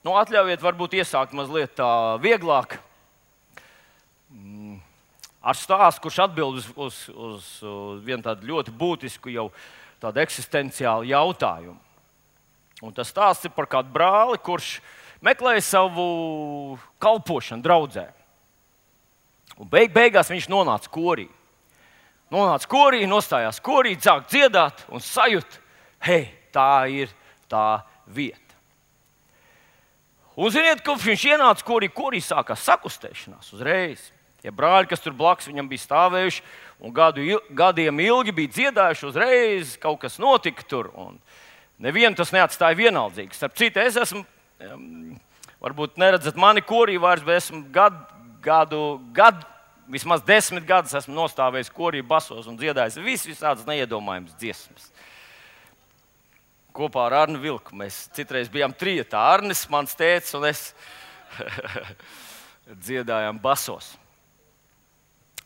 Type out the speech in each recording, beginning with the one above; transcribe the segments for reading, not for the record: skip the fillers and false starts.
Atļaujiet varbūt iesākt mazliet tā vieglāk. Ar stāstu, kurš atbild uz vienu tādu ļoti būtisku, jau tādu eksistenciālu jautājumu. Un tas stāsts ir par kādu brāli, kurš meklēja savu kalpošanu draudzē. Un beigās viņš nonāca korī. Nostājās korī, sāk dziedāt un sajūt, hei, tā ir tā vieta. Un ziniet, kopš viņš ienāca korī sākās sakustēšanās uzreiz. Tie brāļi, kas tur blakus viņam bija stāvējuši un gadiem ilgi bija dziedājuši, uzreiz kaut kas notika tur. Un nevienu tas neatstāja vienaldzīgs. Starp citu, es esmu, varbūt neredzat mani korī vairs, bet esmu vismaz 10 gadus esmu nostāvējis korī basos un dziedājis visādas neiedomājamas dziesmas. Kopā ar Arnu Vilku. Mēs citreiz bijām trietā. Arnis, mans tētis un es dziedājām basos.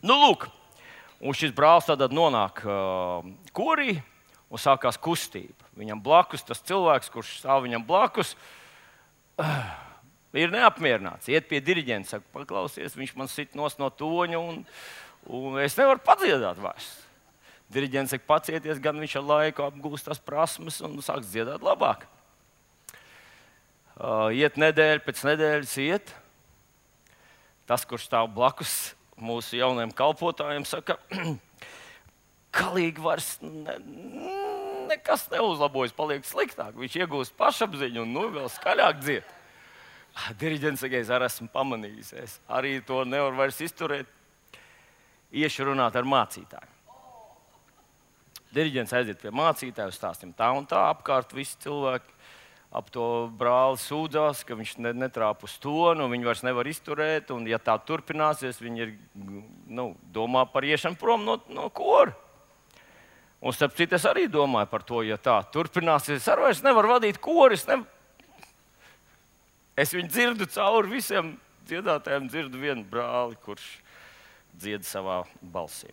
Lūk, un šis brālis tad nonāk korī un sākās kustība. Viņam blakus tas cilvēks, kurš stāv viņam blakus, ir neapmierināts. Iet pie diriģenta, saka, paklausies, viņš man sit nost no toņa un es nevaru padziedāt vairs. Diriģents saka, pacieties, gan viņš ar laiku apgūst tās prasmes un sāks dziedāt labāk. Iet nedēļa pēc nedēļas iet. Tas, kurš stāv blakus mūsu jaunajiem kalpotājiem, saka, galīgi vairs nekas neuzlabojas, paliek sliktāk. Viņš iegūst pašapziņu un vēl skaļāk dzied. Diriģents saka, es arī esmu pamanījis. Es arī to nevaru vairs izturēt. Iešu runāt ar mācītāju. Diriģents aiziet pie mācītāja, stāstīja tā un tā, apkārt visi cilvēki ap to brāli sūdzās, ka viņš netrāpa uz tonu, viņi vairs nevar izturēt, un ja tā turpināsies, viņi ir, domā par iešanu prom no kora. Un starp citu, es arī domāju par to, ja tā turpināsies, es arī vairs nevaru vadīt kori, es viņu dzirdu cauri visiem dziedātājiem, dzirdu vienu brāli, kurš dzied savā balsī.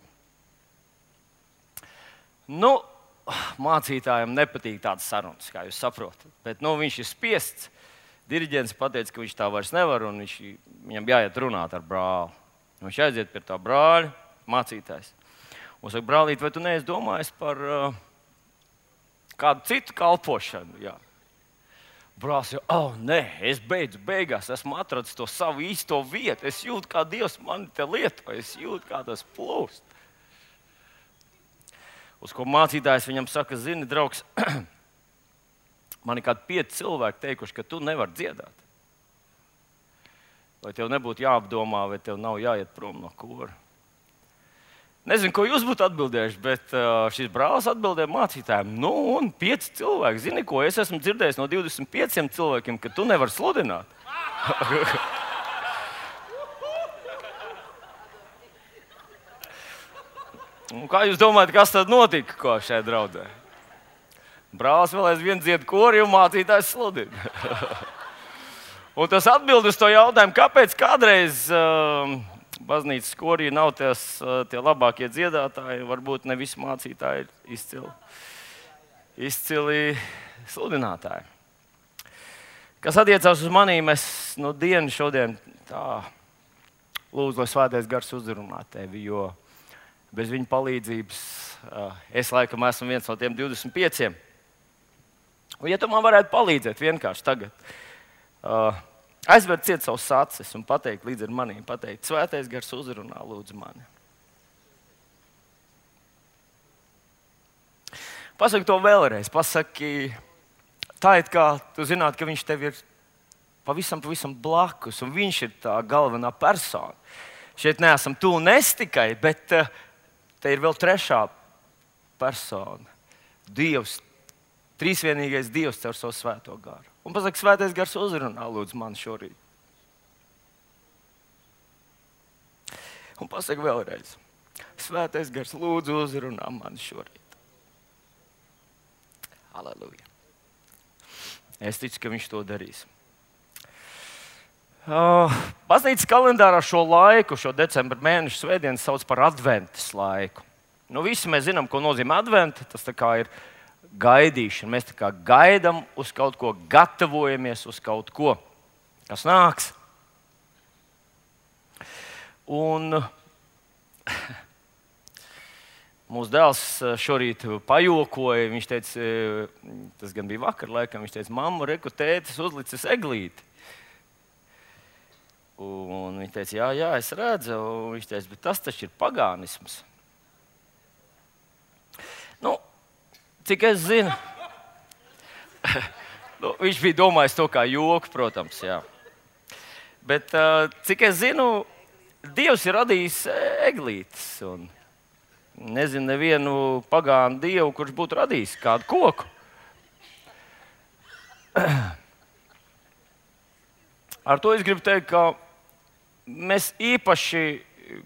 Mācītājiem nepatīk tādas sarunas, kā jūs saprotat. Bet viņš ir spiests. Diriģents pateica, ka viņš tā vairs nevar, un viņam jāiet runāt ar brāli. Viņš aiziet pie tā brāļa, mācītājs. Un saka, brālīt, vai tu neesi domājis par kādu citu kalpošanu? Jā. Brālis jau, nē, es beigās esmu atradzis to savu īsto vietu. Es jūtu, kā Dievs mani te lieto, es jūtu, kā tas plūst. Uz ko mācītājs viņam saka, zini, draugs, man ir kādi 5 cilvēki teikuši, ka tu nevari dziedāt. Vai tev nebūtu jāapdomā, vai tev nav jāiet prom no kora? Nezinu, ko jūs būtu atbildējuši, bet šis brālis atbildēja mācītājiem. Un 5 cilvēki, zini, ko es esmu dzirdējis no 25 cilvēkiem, ka tu nevari sludināt. Kā jūs domājat, kas tad notika šajā draudzē? Brālis vēl aizvien dzied kori un mācītājs sludina. Un tas atbild uz to jautājumu, kāpēc kādreiz baznīcas korī nav tie labākie dziedātāji, varbūt ne visi mācītāji ir izcili sludinātāji. Kas attiecās uz manīm, es dienu šodien tā lūdzu, lai svētais gars uzrunā tevi, jo bez viņa palīdzības es laikam esmu viens no tiem 25. Un, ja tu man varētu palīdzēt vienkārši tagad, aizvērt ciet savus acis un pateikt līdz ar maniem, svētais gars uzrunā, lūdzu mani. Pasaki to vēlreiz, pasaki tā, it kā tu zinātu, ka viņš tev ir pavisam blakus un viņš ir tā galvenā persona. Šeit neesam tu un es tikai, bet te ir vēl trešā persona. Dievs, trīsvienīgais Dievs caur savu svēto garu. Un pasaka, svētais gars uzrunā, lūdzu, man šorīt. Un pasaka vēlreiz, svētais gars lūdzu uzrunā man šorīt. Halleluja. Es ticu, ka viņš to darīs. Baznīcas kalendārā šo laiku, šo decembra mēneša svētdienu sauc par adventas laiku. Visi mēs zinām, ko nozīmē adventa. Tas tā kā ir gaidīšana. Mēs tā kā gaidām uz kaut ko, gatavojamies uz kaut ko. kas nāks. Un mūsu dēls šorīt pajokoja. Viņš teica, tas gan bija vakar, laikam, viņš teica, mamma, reku, tētis uzlicis eglīti. Un viņš teica, jā, es redzu. Un viņš teica, bet tas taču ir pagānisms. Nu, cik es zinu, viņš bija domājis to kā joku, protams, jā. Bet cik es zinu, Dievs ir radījis eglītes. Un nezinu nevienu pagānu dievu, kurš būtu radījis kādu koku. Ar to es gribu teikt, ka mēs īpaši,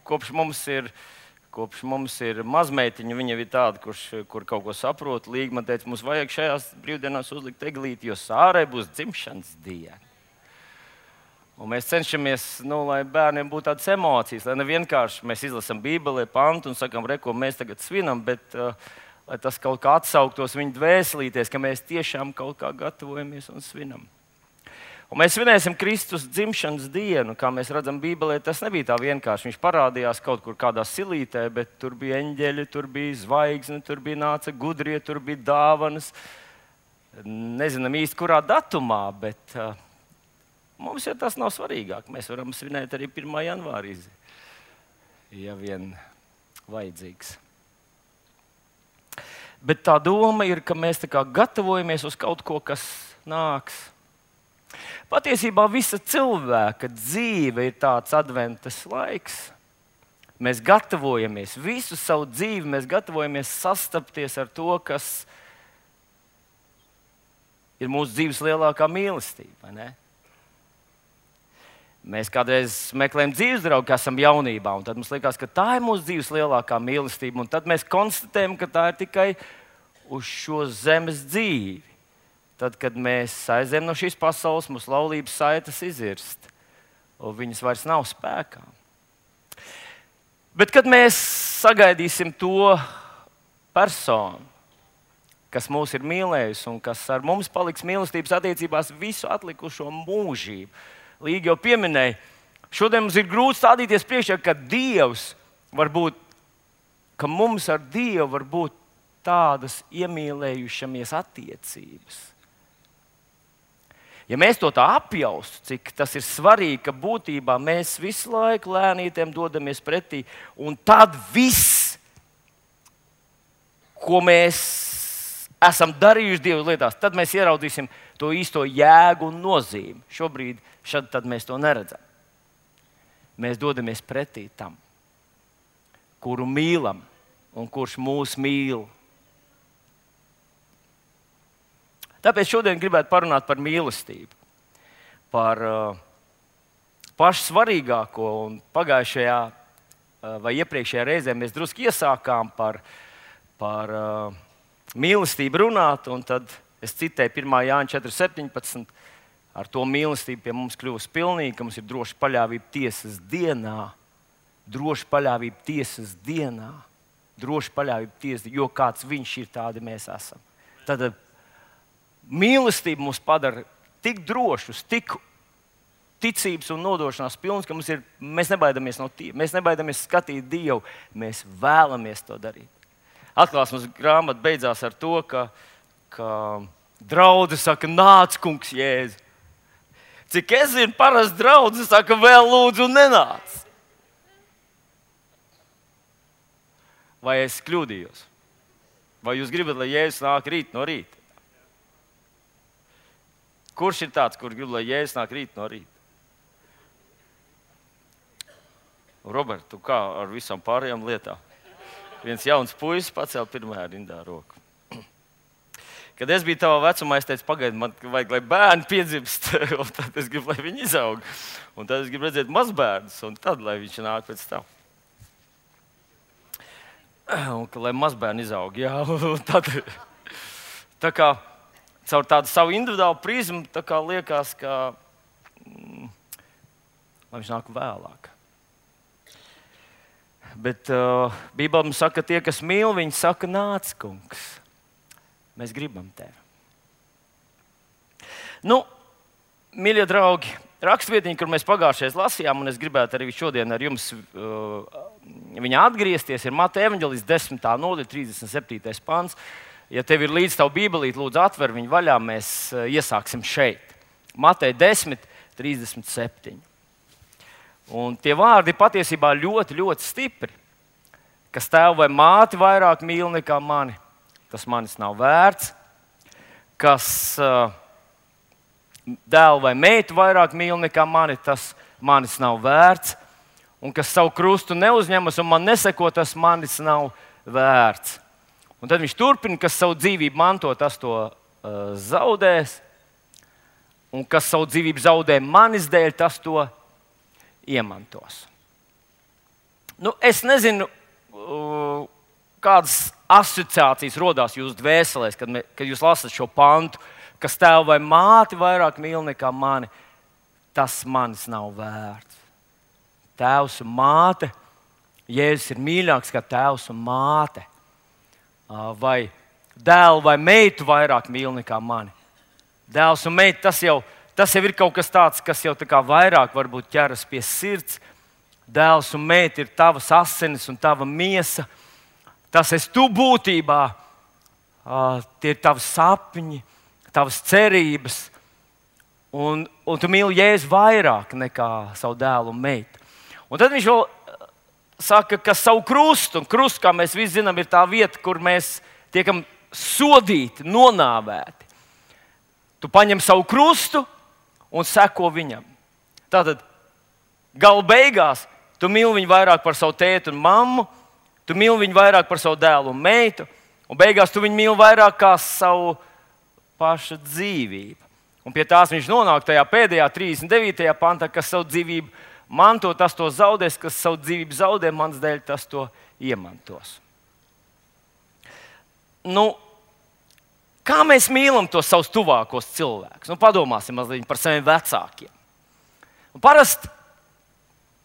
kopš mums ir mazmeitiņa, viņa ir tāda, kur kaut ko saprot. Līga man teica, mums vajag šajās brīvdienās uzlikt eglīti, jo Sārai būs dzimšanas diena. Un mēs cenšamies, lai bērniem būtu tādas emocijas, lai ne vienkārši mēs izlasām Bībelē pantu un sakām, ko mēs tagad svinam, bet lai tas kaut kā atsauktos viņu dvēselīties, ka mēs tiešām kaut kā gatavojamies un svinam. Un mēs svinēsim Kristus dzimšanas dienu, kā mēs redzam Bībelē. Tas nebija tā vienkārši. Viņš parādījās kaut kur kādā silītē, bet tur bija eņģeļi, tur bija zvaigzne, tur bija nāca gudrie, tur bija dāvanas. Nezinām īsti, kurā datumā, bet mums jau tas nav svarīgāk. Mēs varam svinēt arī 1. janvārī, ja vien vajadzīgs. Bet tā doma ir, ka mēs tā kā gatavojamies uz kaut ko, kas nāks. Patiesībā visa cilvēka dzīve ir tāds adventas laiks. Mēs gatavojamies visu savu dzīvi, mēs gatavojamies sastapties ar to, kas ir mūsu dzīves lielākā mīlestība, vai ne? Mēs kādreiz meklējam dzīves draugu, kas esam jaunībā, un tad mums liekas, ka tā ir mūsu dzīves lielākā mīlestība, un tad mēs konstatējam, ka tā ir tikai uz šo zemes dzīvi. Tad, kad mēs aizējam no šīs pasaules, mūsu laulības saites izirst, un viņas vairs nav spēkā. Bet, kad mēs sagaidīsim to personu, kas mūs ir mīlējusi un kas ar mums paliks mīlestības attiecībās visu atlikušo mūžību, Līga jau pieminēja, šodien mums ir grūti stādīties priekšā, ka Dievs var būt, ka mums ar Dievu var būt tādas iemīlējušamies attiecības. Ja mēs to tā apjaustu, cik tas ir svarīgi, ka būtībā mēs visu laiku lēnītiem dodamies pretī, un tad viss, ko mēs esam darījuši Dieva lietās, tad mēs ieraudzīsim to īsto jēgu un nozīmi. Šobrīd tad mēs to neredzam. Mēs dodamies pretī tam, kuru mīlam un kurš mūs mīl. Tāpēc šodien gribētu parunāt par mīlestību, par pašu svarīgāko. Un pagājušajā vai iepriekšējā reizē mēs drusku iesākām par mīlestību runāt, un tad es citēju 1. Jāņa 4.17. Ar to mīlestību pie mums kļūst pilnīgi, ka mums ir droša paļāvība tiesas dienā. Droša paļāvība tiesas dienā. Droša paļāvība tiesas dienā, jo kāds viņš ir, tādi mēs esam. Tad mīlestība mūs padara tik drošus, tik ticības un nodošanās pilns, ka mēs nebaidamies no Dieva. Mēs nebaidamies skatīt Dievu, mēs vēlamies to darīt. Atklāsmes grāmata beidzās ar to, ka draudzene saka, nāc, kungs, Jēzu. Cik es zinu, parasti draudzene saka, vēl lūdzu, nenāc. Vai es kļūdījos? Vai jūs gribat, lai Jēzus nāk rīt no rīta? Kurš ir tāds, kurš grib, lai Jēzus nāk rīt no rīta? Robert, tu kā ar visām pārējām lietām? Viens jauns puisis pacēla pirmajā rindā roku. Kad es biju tavā vecumā, es teicu, pagaidi, man vajag, lai bērni piedzimst, un tad es gribu, lai viņi izaug. Un tad es gribu redzēt mazbērnus, un tad, lai viņš nāk pēc tam. Un lai mazbērni izaug, jā. Un tad, tā kā caur tādu savu individuālu prizmu, tā kā liekas, ka lai viņš nāk vēlāk. Bet Bībelē mums saka, tie, kas mīl, viņi saka, nāc, kungs. Mēs gribam tevi. Nu, mīļie draugi, rakstvietiņa, kur mēs pagājušajā lasījām, un es gribētu arī šodien ar jums viņā atgriezties, ir Mateja evaņģēlijas 10. nodaļa, 37. pants. Ja tev ir līdz tavu bībelīti, lūdzu atver viņu vaļā, mēs iesāksim šeit. Mateja 10, 37. Un tie vārdi patiesībā ļoti, ļoti stipri. Kas tēvu vai māti vairāk mīl nekā mani, tas manis nav vērts. Kas dēlu vai meitu vairāk mīl nekā mani, tas manis nav vērts. Un kas savu krustu neuzņemas un man neseko, tas manis nav vērts. Un tad viņš turpina, kas savu dzīvību manto, tas to zaudēs. Un kas savu dzīvību zaudē manis dēļ, tas to iemantos. Nu, es nezinu, kādas asociācijas rodās jūsu dvēselēs, kad jūs lasat šo pantu, kas tēvu vai māti vairāk mīl nekā mani, tas manis nav vērts. Tēvs un māte, Jēzus ir mīļāks kā tēvs un māte. Vai dēlu vai meitu vairāk mīl nekā mani. Dēls un meita, tas jau ir kaut kas tāds, kas jau tā kā vairāk varbūt ķeras pie sirds. Dēls un meita ir tavas asinis un tava miesa. Tas esi tu būtībā. Tie ir tavi sapņi, tavas cerības. Un tu mīli Jēzu vairāk nekā savu dēlu un meitu. Un tad viņš vēl saka, ka savu krustu, un krusts, kā mēs visi zinām, ir tā vieta, kur mēs tiekam sodīti, nonāvēti. Tu paņem savu krustu un seko viņam. Tātad gala beigās tu mīli viņu vairāk par savu tēti un mammu, tu mīli viņu vairāk par savu dēlu un meitu, un beigās tu viņu mīli vairāk kā savu pašu dzīvību. Un pie tās viņš nonāk tajā pēdējā 39. pantā, kas savu dzīvību manto, tas to zaudēs, kas savu dzīvību zaudē, mans dēļ, tas to iemantos. Nu, kā mēs mīlam tos savus tuvākos cilvēkus? Nu, padomāsim mazliet par saviem vecākiem.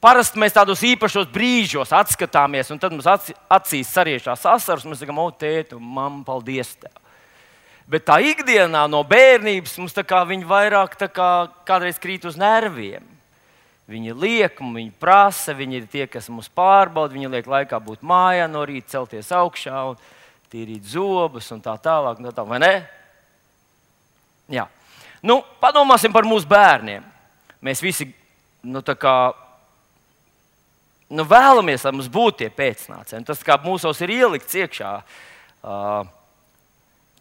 Parasti mēs tādos īpašos brīžos atskatāmies, un tad mums acīs sariešās asaras, un mēs sakām, o, tēti, mamma, paldies tev. Bet tā ikdienā no bērnības mums viņi vairāk kādreiz krīt uz nerviem. Viņi liek, viņi prasa, viņi ir tie, kas mums pārbauda, viņi liek laikā būt mājā no rīta, celties augšā un tīrīt zobus un tā tālāk, vai ne? Jā. Nu, padomāsim par mūsu bērniem. Mēs visi vēlamies, lai mums būtu tie pēcnācēji. Tas kā mūsos ir ielikts iekšā.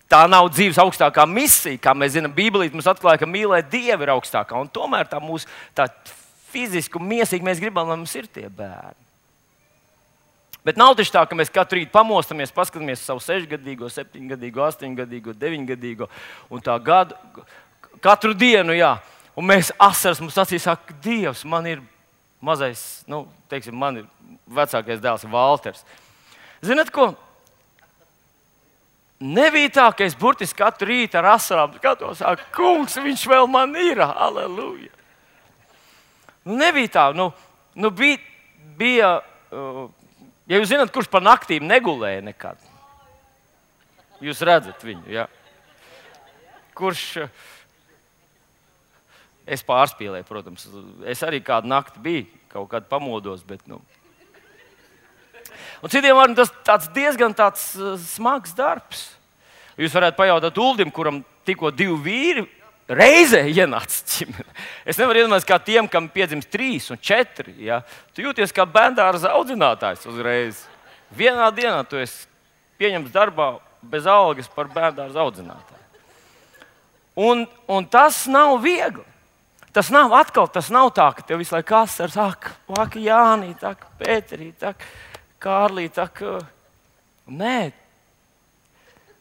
Tā nav dzīves augstākā misija, kā mēs zinām, Bībelīte mums atklāja, ka mīlēt Dievu ir augstākā. Un tomēr tā mūsu fiziski un miesīgi mēs gribam, lai mums ir tie bērni. Bet nav taču tā, ka mēs katru rītu pamostamies, paskatāmies savu 6-gadīgo, 7-gadīgo, 8-gadīgo, 9-gadīgo un tā gadu katru dienu, jā. Un mēs asaras mums acīs saka, Dievs, man ir mazais, man ir vecākais dēls Valters. Zināt ko? Nebija tā, ka es burtiski katru rītu ar asarām skatos, kungs, viņš vēl man ir, halleluja. Nebija tā, bija, ja jūs zināt, kurš pa naktīm negulēja nekad. Jūs redzat viņu, jā. Kurš, es pārspīlēju, protams, es arī kādu nakti biju, kaut kādu pamodos, bet, Un citiem vārdiem tas diezgan smags darbs. Jūs varētu pajautāt Uldim, kuram tikko 2 vīri reizē ienāca ģimene. Es nevaru iedomāties, kā tiem, kam piedzimst 3 un 4. Ja? Tu jūties kā bērndārza audzinātājs uzreiz. Vienā dienā tu esi pieņemts darbā bez algas par bērndārza audzinātāju. Un tas nav viegli. Tas nav tā, ka tev visu laiku asars, ak, Jānī, tak, Pēterī, tak, Kārlī, tak. Nē.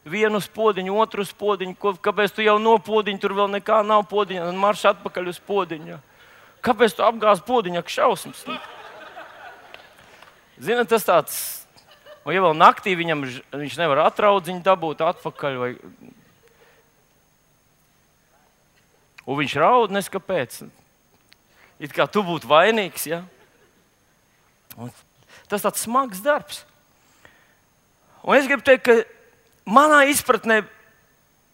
Vienu uz podiņu, otru uz podiņu. Kāpēc tu jau no podiņa, tur vēl nekā nav podiņa, un marš atpakaļ uz podiņu? Kāpēc tu apgāzi podiņu, ak šausmas? Ziniet, tas tāds, un ja vēl naktī viņš nevar atraudziņu dabūt atpakaļ, vai... Un viņš raud, neskapēc. It kā tu būtu vainīgs, ja? Un tas tāds smags darbs. Un es gribu teikt, ka manā izpratnē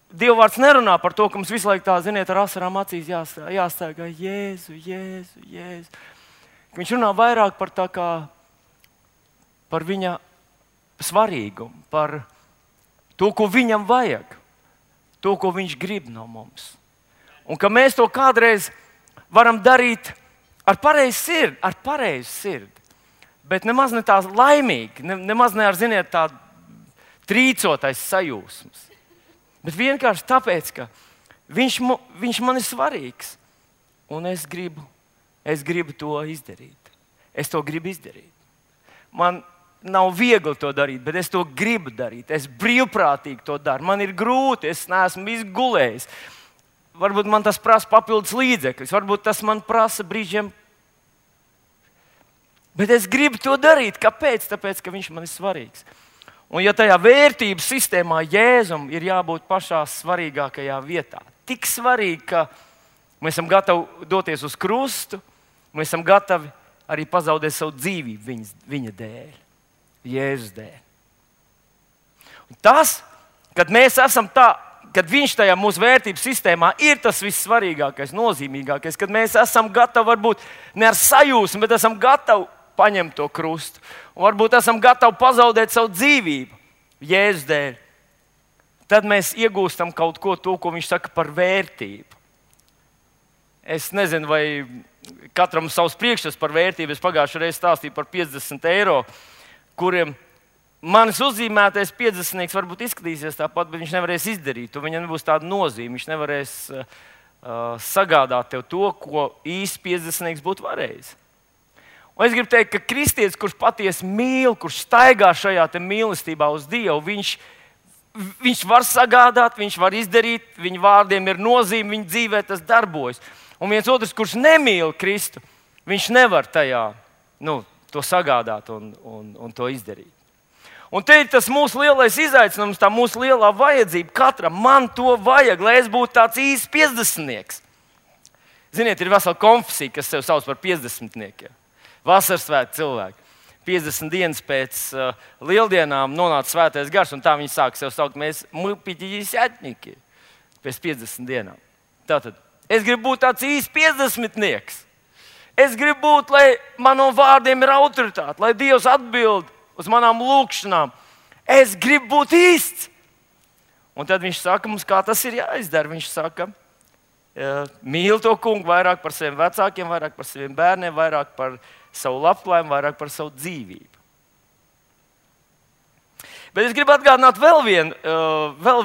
Dieva vārds nerunā par to, ka mums visu laiku tā, ziniet, ar asarām acīs jāstāv, Jēzu, Jēzu, Jēzu. Viņš runā vairāk par viņa svarīgumu, par to, ko viņam vajag, to, ko viņš grib no mums. Un ka mēs to kādreiz varam darīt ar pareizu sirdi, bet nemaz ne tā laimīgi, nemaz ne ar, ziniet, tādu trīcotais sajūsmas. Bet vienkārši tāpēc, ka viņš man ir svarīgs, un es gribu to izdarīt. Es to gribu izdarīt. Man nav viegli to darīt, bet es to gribu darīt. Es brīvprātīgi to daru. Man ir grūti, es neesmu izgulējis. Varbūt man tas prasa papildus līdzekļus, varbūt tas man prasa brīžiem. Bet es gribu to darīt. Kāpēc? Tāpēc, ka viņš man ir svarīgs. Un ja tajā vērtības sistēmā Jēzum ir jābūt pašā svarīgākajā vietā, tik svarīgi, ka mēs esam gatavi doties uz krustu, mēs esam gatavi arī pazaudēt savu dzīvību viņa dēļ, Jēzus dēļ. Un tas, kad mēs esam kad viņš tajā mūsu vērtības sistēmā ir tas vissvarīgākais, nozīmīgākais, kad mēs esam gatavi varbūt ne ar sajūsmu, bet esam gatavi paņemt to krustu. Un varbūt esam gatavi pazaudēt savu dzīvību Jēzus dēļ. Tad mēs iegūstam kaut ko, ko viņš saka par vērtību. Es nezinu, vai katram savs priekšstats par vērtību. Es pagājušajā reizē stāstīju par 50 eiro, kuriem manis uzzīmētais 50 varbūt izskatīsies tāpat, bet viņš nevarēs izdarīt. To viņam nebūs tāda nozīme. Viņš nevarēs sagādāt tev to, ko īsti 50 būtu varējis. Un es gribu teikt, ka kristietis, kurš patiesi mīl, kurš staigā šajā mīlestībā uz Dievu, viņš var sagādāt, viņš var izdarīt, viņa vārdiem ir nozīme, viņa dzīvē tas darbojas. Un viens otrs, kurš nemīl Kristu, viņš nevar tajā to sagādāt un to izdarīt. Un te ir tas mūsu lielais izaicinājums, tā mūsu lielā vajadzība. Katram man to vajag, lai es būtu tāds īsts 50-nieks. Ziniet, ir vesela konfesija, kas sev sauc par 50-niekiem. Vasaras svētki cilvēki. 50 dienas pēc lieldienām nonāca svētais gars, un tā viņi sāk sev saukt, mēs mupiķiņi pēc 50 dienām. Tātad, es gribu būt tāds īsts 50-nieks. Es gribu būt, lai manom vārdiem ir autoritāte, lai Dievs atbild uz manām lūkšanām. Es gribu būt īsts. Un tad viņš saka mums, kā tas ir jāizdara. Viņš saka, mīl to kungu vairāk par saviem vecākiem, vairāk par saviem bērniem, vairāk par savu labklājību, vairāk par savu dzīvību. Bet es gribu atgādināt vēl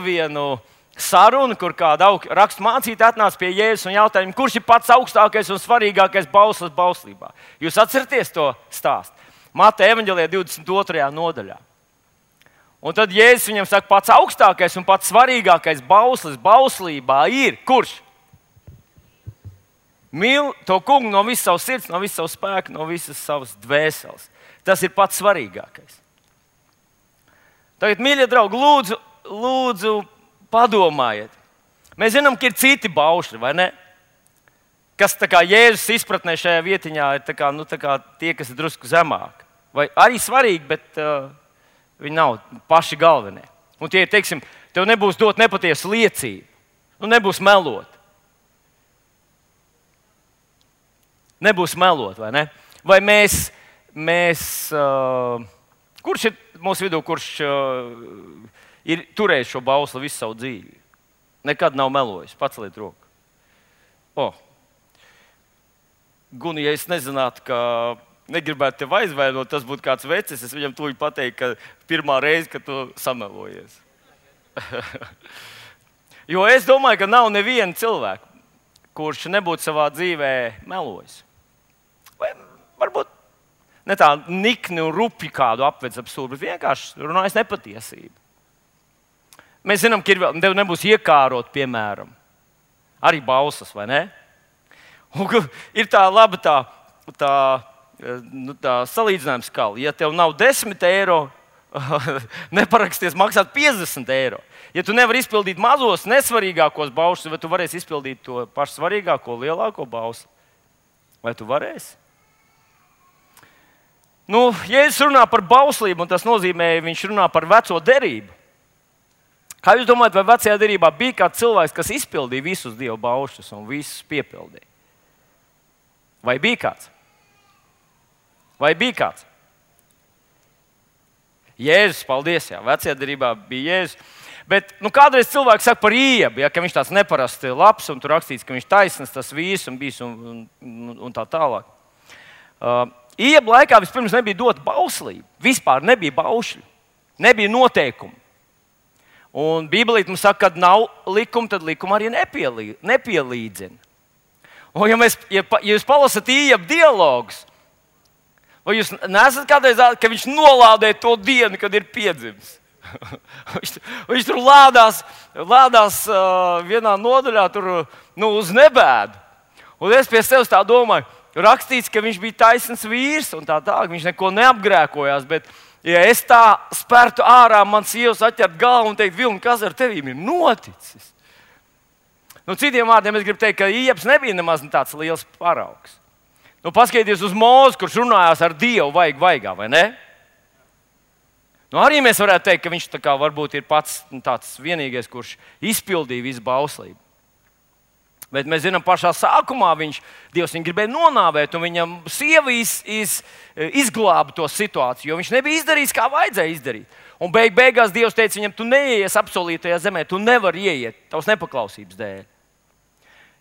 vienu sarunu, kur kāda rakstu mācītāja atnāca pie Jēzus un jautāja, kurš ir pats augstākais un svarīgākais bauslis bauslībā. Jūs atceraties to stāstu? Mateja evaņģēlijā 22. nodaļā. Un tad Jēzus viņam saka, pats augstākais un pats svarīgākais bauslis bauslībā ir kurš? Mīl to kungu no visas savas sirds, no visas savas spēka, no visas savas dvēseles. Tas ir pats svarīgākais. Tagad, mīļie draugi, lūdzu padomājiet. Mēs zinām, ka ir citi baušļi, vai ne? Kas tā kā Jēzus izpratnē šajā vietiņā ir tā kā tie, kas ir drusku zemāk. Vai arī svarīgi, bet viņi nav paši galvenie. Un tie ir, teiksim, tev nebūs dot nepatiesu liecību. Nebūs melot. Nebūs melot, vai ne? Vai kurš ir mūsu vidū, kurš ir turējis šo bausli visu savu dzīvi? Nekad nav melojis. Paceliet roku. Guni, ja es nezinātu, ka negribētu tevi aizvainot, tas būtu kāds vecis, es viņam tūlīt pateiktu, ka pirmā reize, kad tu samelojies. Jo es domāju, ka nav neviena cilvēka, kurš nebūtu savā dzīvē melojis. Vai varbūt ne tā nikni un rupi kādu apvedz ap stūri, bet vienkārši runājas nepatiesību. Mēs zinām, ka tev nebūs iekārot, piemēram, arī bausas, vai ne? Un ir tā laba tā salīdzinājuma skala. Ja tev nav 10 eiro, neparaksties maksāt 50 eiro. Ja tu nevari izpildīt mazos, nesvarīgākos baušus, vai tu varēsi izpildīt to pašu svarīgāko, lielāko bausu? Vai tu varēsi? Jēzus runā par bauslību, un tas nozīmē, viņš runā par veco derību. Kā jūs domājat, vai vecajā derībā bija kāds cilvēks, kas izpildīja visus Dieva baušļus un visus piepildīja? Vai bija kāds? Vai bija kāds? Jēzus, paldies, jā, vecajā derībā bija Jēzus. Bet kādreiz cilvēks saka par Iebu, ja, ka viņš tāds neparasts labs un tur rakstīts, ka viņš taisns tas vīrs un bijis un tā tālāk. Iebu laikā vispirms nebija dota bauslība. Vispār nebija baušļu, nebija noteikumu. Un Bībelīte mums saka, ka nav likuma, tad likuma arī nepielīdzina. Un ja jūs palasat Iebu dialogus, vai jūs neesat kādreiz, ka viņš nolādē to dienu, kad ir piedzimis? Viņš tur lādās vienā nodaļā uz nebēdu. Un es pie sevis tā domāju, rakstīts, ka viņš bija taisns vīrs un tā, viņš neko neapgrēkojās. Bet, ja es tā spērtu ārā, man sievas atķert galvu un teikt, Vilni, kas ar tevīm ir noticis? Citiem vārdiem es gribu teikt, ka Iebs nebija nemaz tāds liels paraugs. Paskatieties uz Mūzu, kurš runājās ar Dievu vaigā, vai ne? Arī mēs varētu teikt, ka viņš varbūt ir pats tāds vienīgais, kurš izpildīja visu bauslību. Bet mēs zinām, pašā sākumā Dievs viņu gribēja nonāvēt, un viņam sieva izglāba to situāciju, jo viņš nebija izdarījis, kā vajadzēja izdarīt. Un beigās Dievs teica viņam, tu neieies apsolītajā zemē, tu nevari ieiet tavas nepaklausības dēļ.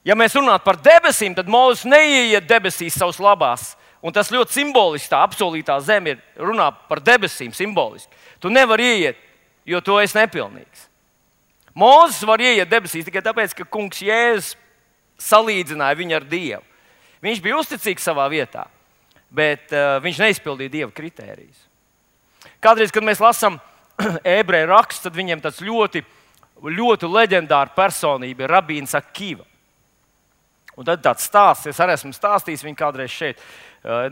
Ja mēs runātu par debesīm, tad Mūzes neieiet debesīs savas labās. Un tas ļoti simboliski, tā apsolītā zeme runā par debesīm simboliski. Tu nevari ieiet, jo tu esi nepilnīgs. Mūzes var ieiet debesīs tikai tāpēc, ka kungs Jēzus salīdzināja viņu ar Dievu. Viņš bija uzticīgs savā vietā, bet viņš neizpildīja Dieva kritērijus. Kādreiz, kad mēs lasām ebreju rakstu, tad viņiem tāds ļoti, ļoti leģendāra personība ir Rabīns Akiva. Un tad tāds stāsts, es arī esmu stāstījis viņu kādreiz šeit.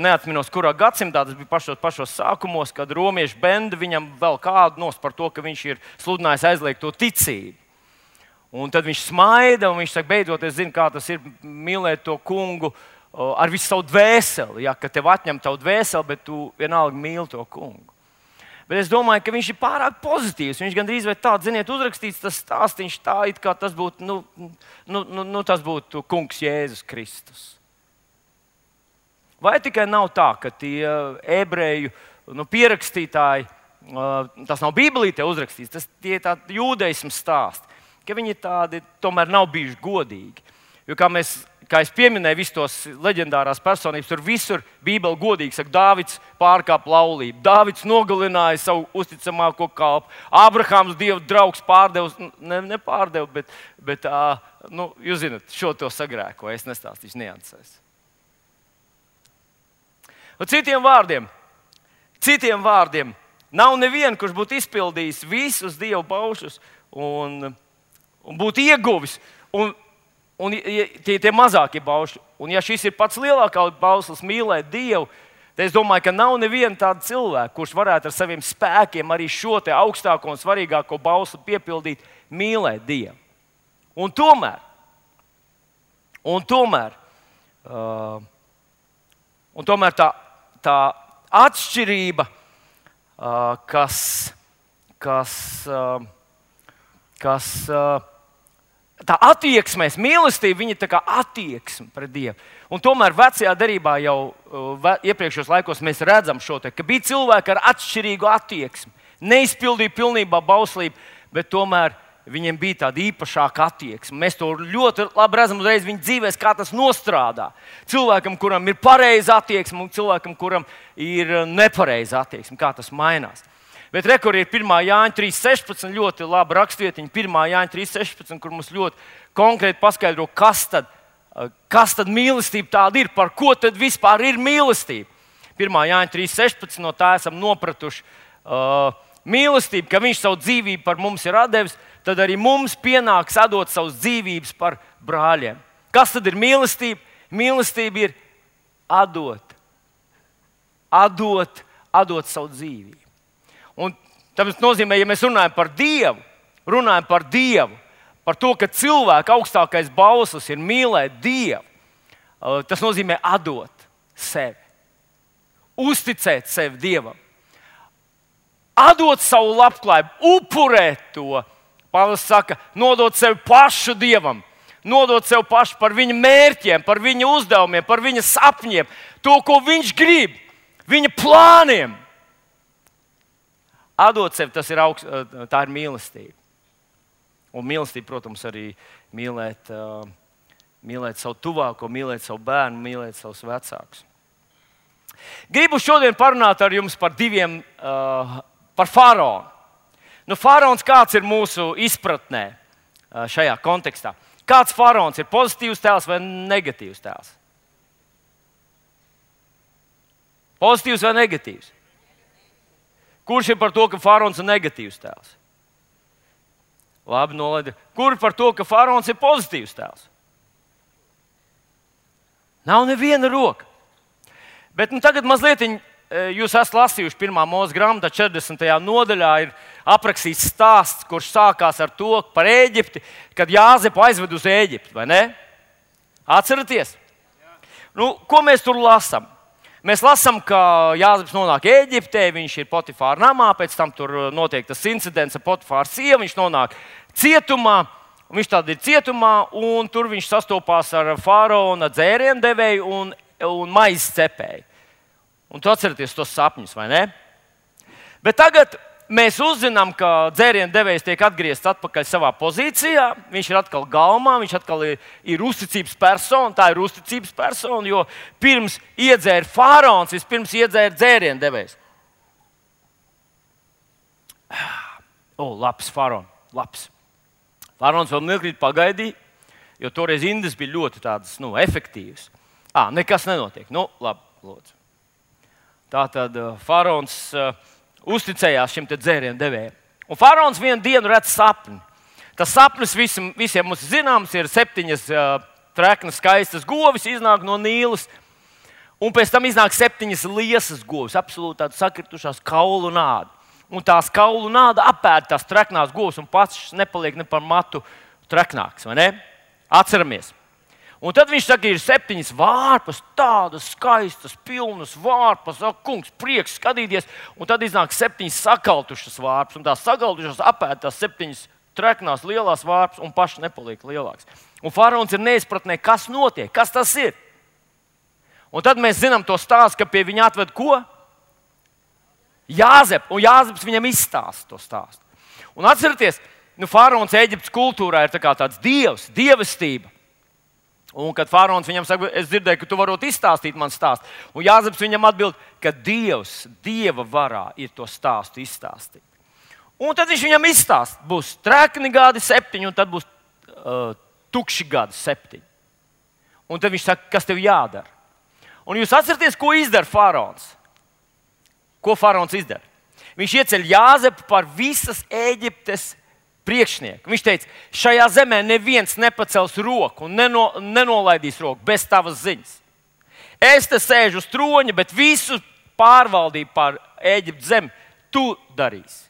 Neatminos, kurā gadsimtā tas bija pašos sākumos, kad romiešu benda viņam vēl kādu nos par to, ka viņš ir sludinājis aizliegt to ticību. Un tad viņš smaida un viņš saka, beidzot, es zinu, kā tas ir mīlēt to kungu ar visu savu dvēseli. Ja, ka tev atņem tavu dvēseli, bet tu vienalga mīli to kungu. Bet es domāju, ka viņš ir pārāk pozitīvs. Viņš gandrīz vai tā, ziniet, uzrakstīts tas stāstīns tā, it kā tas būtu, tas būtu kungs Jēzus Kristus. Vai tikai nav tā, ka tie ebreju pierakstītāji, tas nav Bībelītē uzrakstīts, tas tie ir tādi jūdeismu stāsti, ka viņi tādi tomēr nav bijuši godīgi. Jo kā es pieminēju, visus tos leģendārās personības, tur visur Bībele godīgi saka, Dāvids pārkāpa laulību, Dāvids nogalināja savu uzticamāko kalpu, Ābrahāms Dieva draugs pārdeva, nepārdeva, bet jūs zināt, šo to sagrēko, es nestāstīšu niansēs. Citiem vārdiem, nav neviena, kurš būtu izpildījis visus Dieva baušļus un būtu ieguvis. Un tie mazākie baušļi. Un ja šis ir pats lielākais bauslis mīlēt Dievu, tad es domāju, ka nav neviena tāda cilvēka, kurš varētu ar saviem spēkiem arī šo te augstāko un svarīgāko bausli piepildīt, mīlēt Dievu. Un tomēr tā atšķirība, tā attieksmēs, mīlestība, viņa ir tā kā attieksme pret Dievu. Un tomēr vecajā derībā jau iepriekšējos laikos mēs redzam šo te, ka bija cilvēki ar atšķirīgu attieksmi. Neizpildīja pilnībā bauslību, bet tomēr viņiem bija tāda īpašāka attieksme. Mēs to ļoti labi redzam uzreiz viņu dzīvēs, kā tas nostrādā. Cilvēkam, kuram ir pareiza attieksme, un cilvēkam, kuram ir nepareiza attieksme, kā tas mainās. Bet rekur ir 1. Jāņa 3.16, ļoti laba rakstvietiņa, 1. Jāņa 3.16, kur mums ļoti konkrēti paskaidro, kas tad mīlestība tāda ir, par ko tad vispār ir mīlestība. 1. Jāņa 3.16, no tā esam nopratuši mīlestību, ka viņš savu dzīvību par mums ir atdevis, tad arī mums pienāks atdot savas dzīvības par brāļiem. Kas tad ir mīlestība? Mīlestība ir atdot savu dzīvību. Un tas nozīmē, ja mēs runājam par Dievu, par to, ka cilvēka augstākais bauslis ir mīlēt Dievu, tas nozīmē atdot sevi, uzticēt sevi Dievam, atdot savu labklājību, upurēt to Pāvils saka, nodot sevi pašu Dievam, nodot sevi pašu par viņa mērķiem, par viņa uzdevumiem, par viņa sapņiem, to, ko viņš grib, viņa plāniem. Atdot sevi, tas ir tā ir mīlestība. Un mīlestība, protams, arī mīlēt savu tuvāko, mīlēt savu bērnu, mīlēt savus vecākus. Gribu šodien parunāt ar jums par par faraonu. Faraons kāds ir mūsu izpratnē šajā kontekstā? Kāds faraons ir pozitīvs tēls vai negatīvs tēls? Pozitīvs vai negatīvs? Kurš ir par to, ka faraons ir negatīvs tēls? Labi, nolaidi. Kur par to, ka faraons ir pozitīvs tēls? Nav neviena roka. Bet tagad mazliet jūs esat lasījuši 1. Mūzes grāmatā, 40. nodaļā ir aprakstīts stāsts, kurš sākās ar to par Ēģipti, kad Jāzepu aizved uz Ēģipti, vai ne? Atceraties? Ko mēs tur lasām? Mēs lasām, ka Jāzeps nonāk Ēģiptē, viņš ir Potifāra namā, pēc tam tur notiek tas incidents ar Potifāra sievu, viņš nonāk cietumā, viņš tad ir cietumā, un tur viņš sastopās ar faraona dzēriendevēju un maizes cepēju. Un tu atceraties tos sapņus, vai ne? Bet tagad mēs uzzinām, ka dzēriendevējs tiek atgriezts atpakaļ savā pozīcijā. Viņš ir atkal galmā, viņš atkal ir uzticības persona. Tā ir uzticības persona, jo pirms iedzēra faraons, vispirms iedzēra dzēriendevējs. Labs faraons, labs. Faraons vēl mirklīt pagaidīja, jo toreiz Indas bija ļoti tādas, efektīvas. Nekas nenotiek. Labi, lūdzu. Tātad faraons uzticējās šim dzēriendevējam. Un faraons vienu dienu redz sapni. Tas sapnis visiem mums zināms ir 7 treknas skaistas govis iznāk no Nīlas. Un pēc tam iznāk 7 liesas govis, absolūti tādas sakritušās kaulu nāda. Un tās kaulu nāda apēd tās treknās govis un pats nepaliek ne par matu treknāks, vai ne? Atceramies. Un tad viņš saka, ir 7 vārpas, tādas skaistas, pilnas vārpas. Kungs, prieks skatīties. Un tad iznāk 7 sakaltušas vārpas. Un tās sakaltušas apēd tās 7 treknās lielās vārpas un paši nepaliek lielāks. Un faraons ir neizpratnē, kas notiek, kas tas ir. Un tad mēs zinām to stāstu, ka pie viņa atved ko? Jāzepu. Un Jāzeps viņam izstāsta to stāstu. Un atcerieties, faraons Ēģiptes kultūrā ir tāds dievs, dievestība. Un kad faraons viņam saka, es dzirdēju, ka tu varot izstāstīt man stāstu. Un Jāzeps viņam atbild, ka Dievs, Dieva varā ir to stāstu izstāstīt. Un tad viņš viņam izstāsta, būs trekni gadi 7, un tad būs tukši gadi 7. Un tad viņš saka, kas tev jādara? Un jūs atceraties, ko izdara faraons? Ko faraons izdara? Viņš ieceļ Jāzepu par visas Ēģiptes priekšnieku. Viņš teica, šajā zemē neviens nepacels roku un nenolaidīs roku bez tavas ziņas. Es te sēžu uz troņa, bet visu pārvaldību pār Ēģiptes zemi tu darīsi.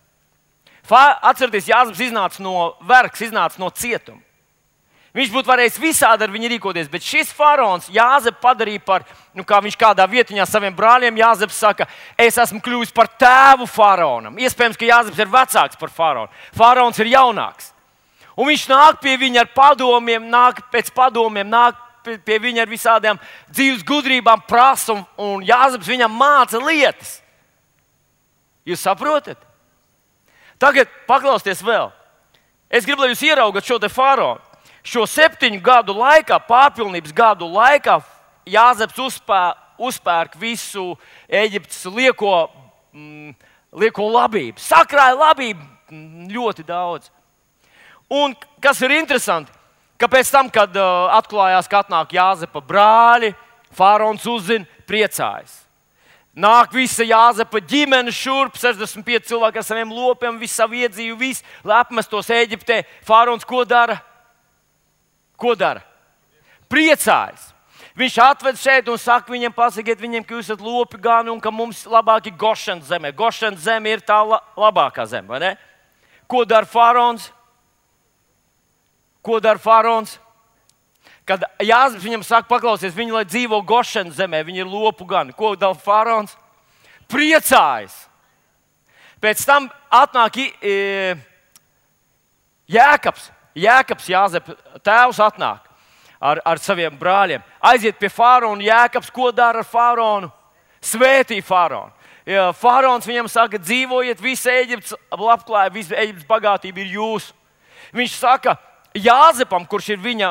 Atcerieties, Jāzeps iznāca no vergs, iznāca no cietuma. Viņš būtu varējis visādi ar viņu rīkoties, bet šis faraons Jāzepu padarīja par, kā viņš kādā vietiņā saviem brāļiem, Jāzeps saka, es esmu kļuvis par tēvu faraonam. Iespējams, ka Jāzeps ir vecāks par faraonu. Faraons ir jaunāks. Un viņš nāk pie viņa ar padomiem, nāk pie viņa ar visādām dzīves gudrībām, prasa, un Jāzeps viņam māca lietas. Jūs saprotat? Tagad paklausieties vēl. Es gribu, lai jūs ieraugat šo te faraonu. Šo 7 gadu laikā, pārpilnības gadu laikā, Jāzeps uzpērk visu Ēģiptes lieko labību. Sakrāja labību ļoti daudz. Un kas ir interesanti, ka pēc tam, kad atklājās, ka atnāk Jāzepa brāļi, faraons uzzina, priecājas. Nāk visa Jāzepa ģimene šurp, 65 cilvēki ar saviem lopiem, visu savu iedzīvu, visu, lai apmestos Ēģiptē. Faraons ko dara? Ko dara? Priecājas. Viņš atved šeit un saka viņiem, pasakiet viņiem, ka jūs esat lopi gani un ka mums labāk ir Gošanas zeme. Gošanas zeme ir tā labākā zeme, vai ne? Ko dara faraons? Ko dara faraons? Kad Jāzeps viņam saka, paklausies, viņi lai dzīvo Gošanas zemē, viņi ir lopu gani. Ko dara faraons? Priecājas. Pēc tam atnāk Jēkabs, Jāzepa tēvs atnāk ar saviem brāļiem. Aiziet pie faraona, Jēkabs, ko dara ar faraonu? Svētī faraonu. Faraons viņam saka, dzīvojiet, visa Ēģiptes labklājība, visa Ēģiptes bagātība ir jūsu. Viņš saka Jāzepam, kurš ir viņa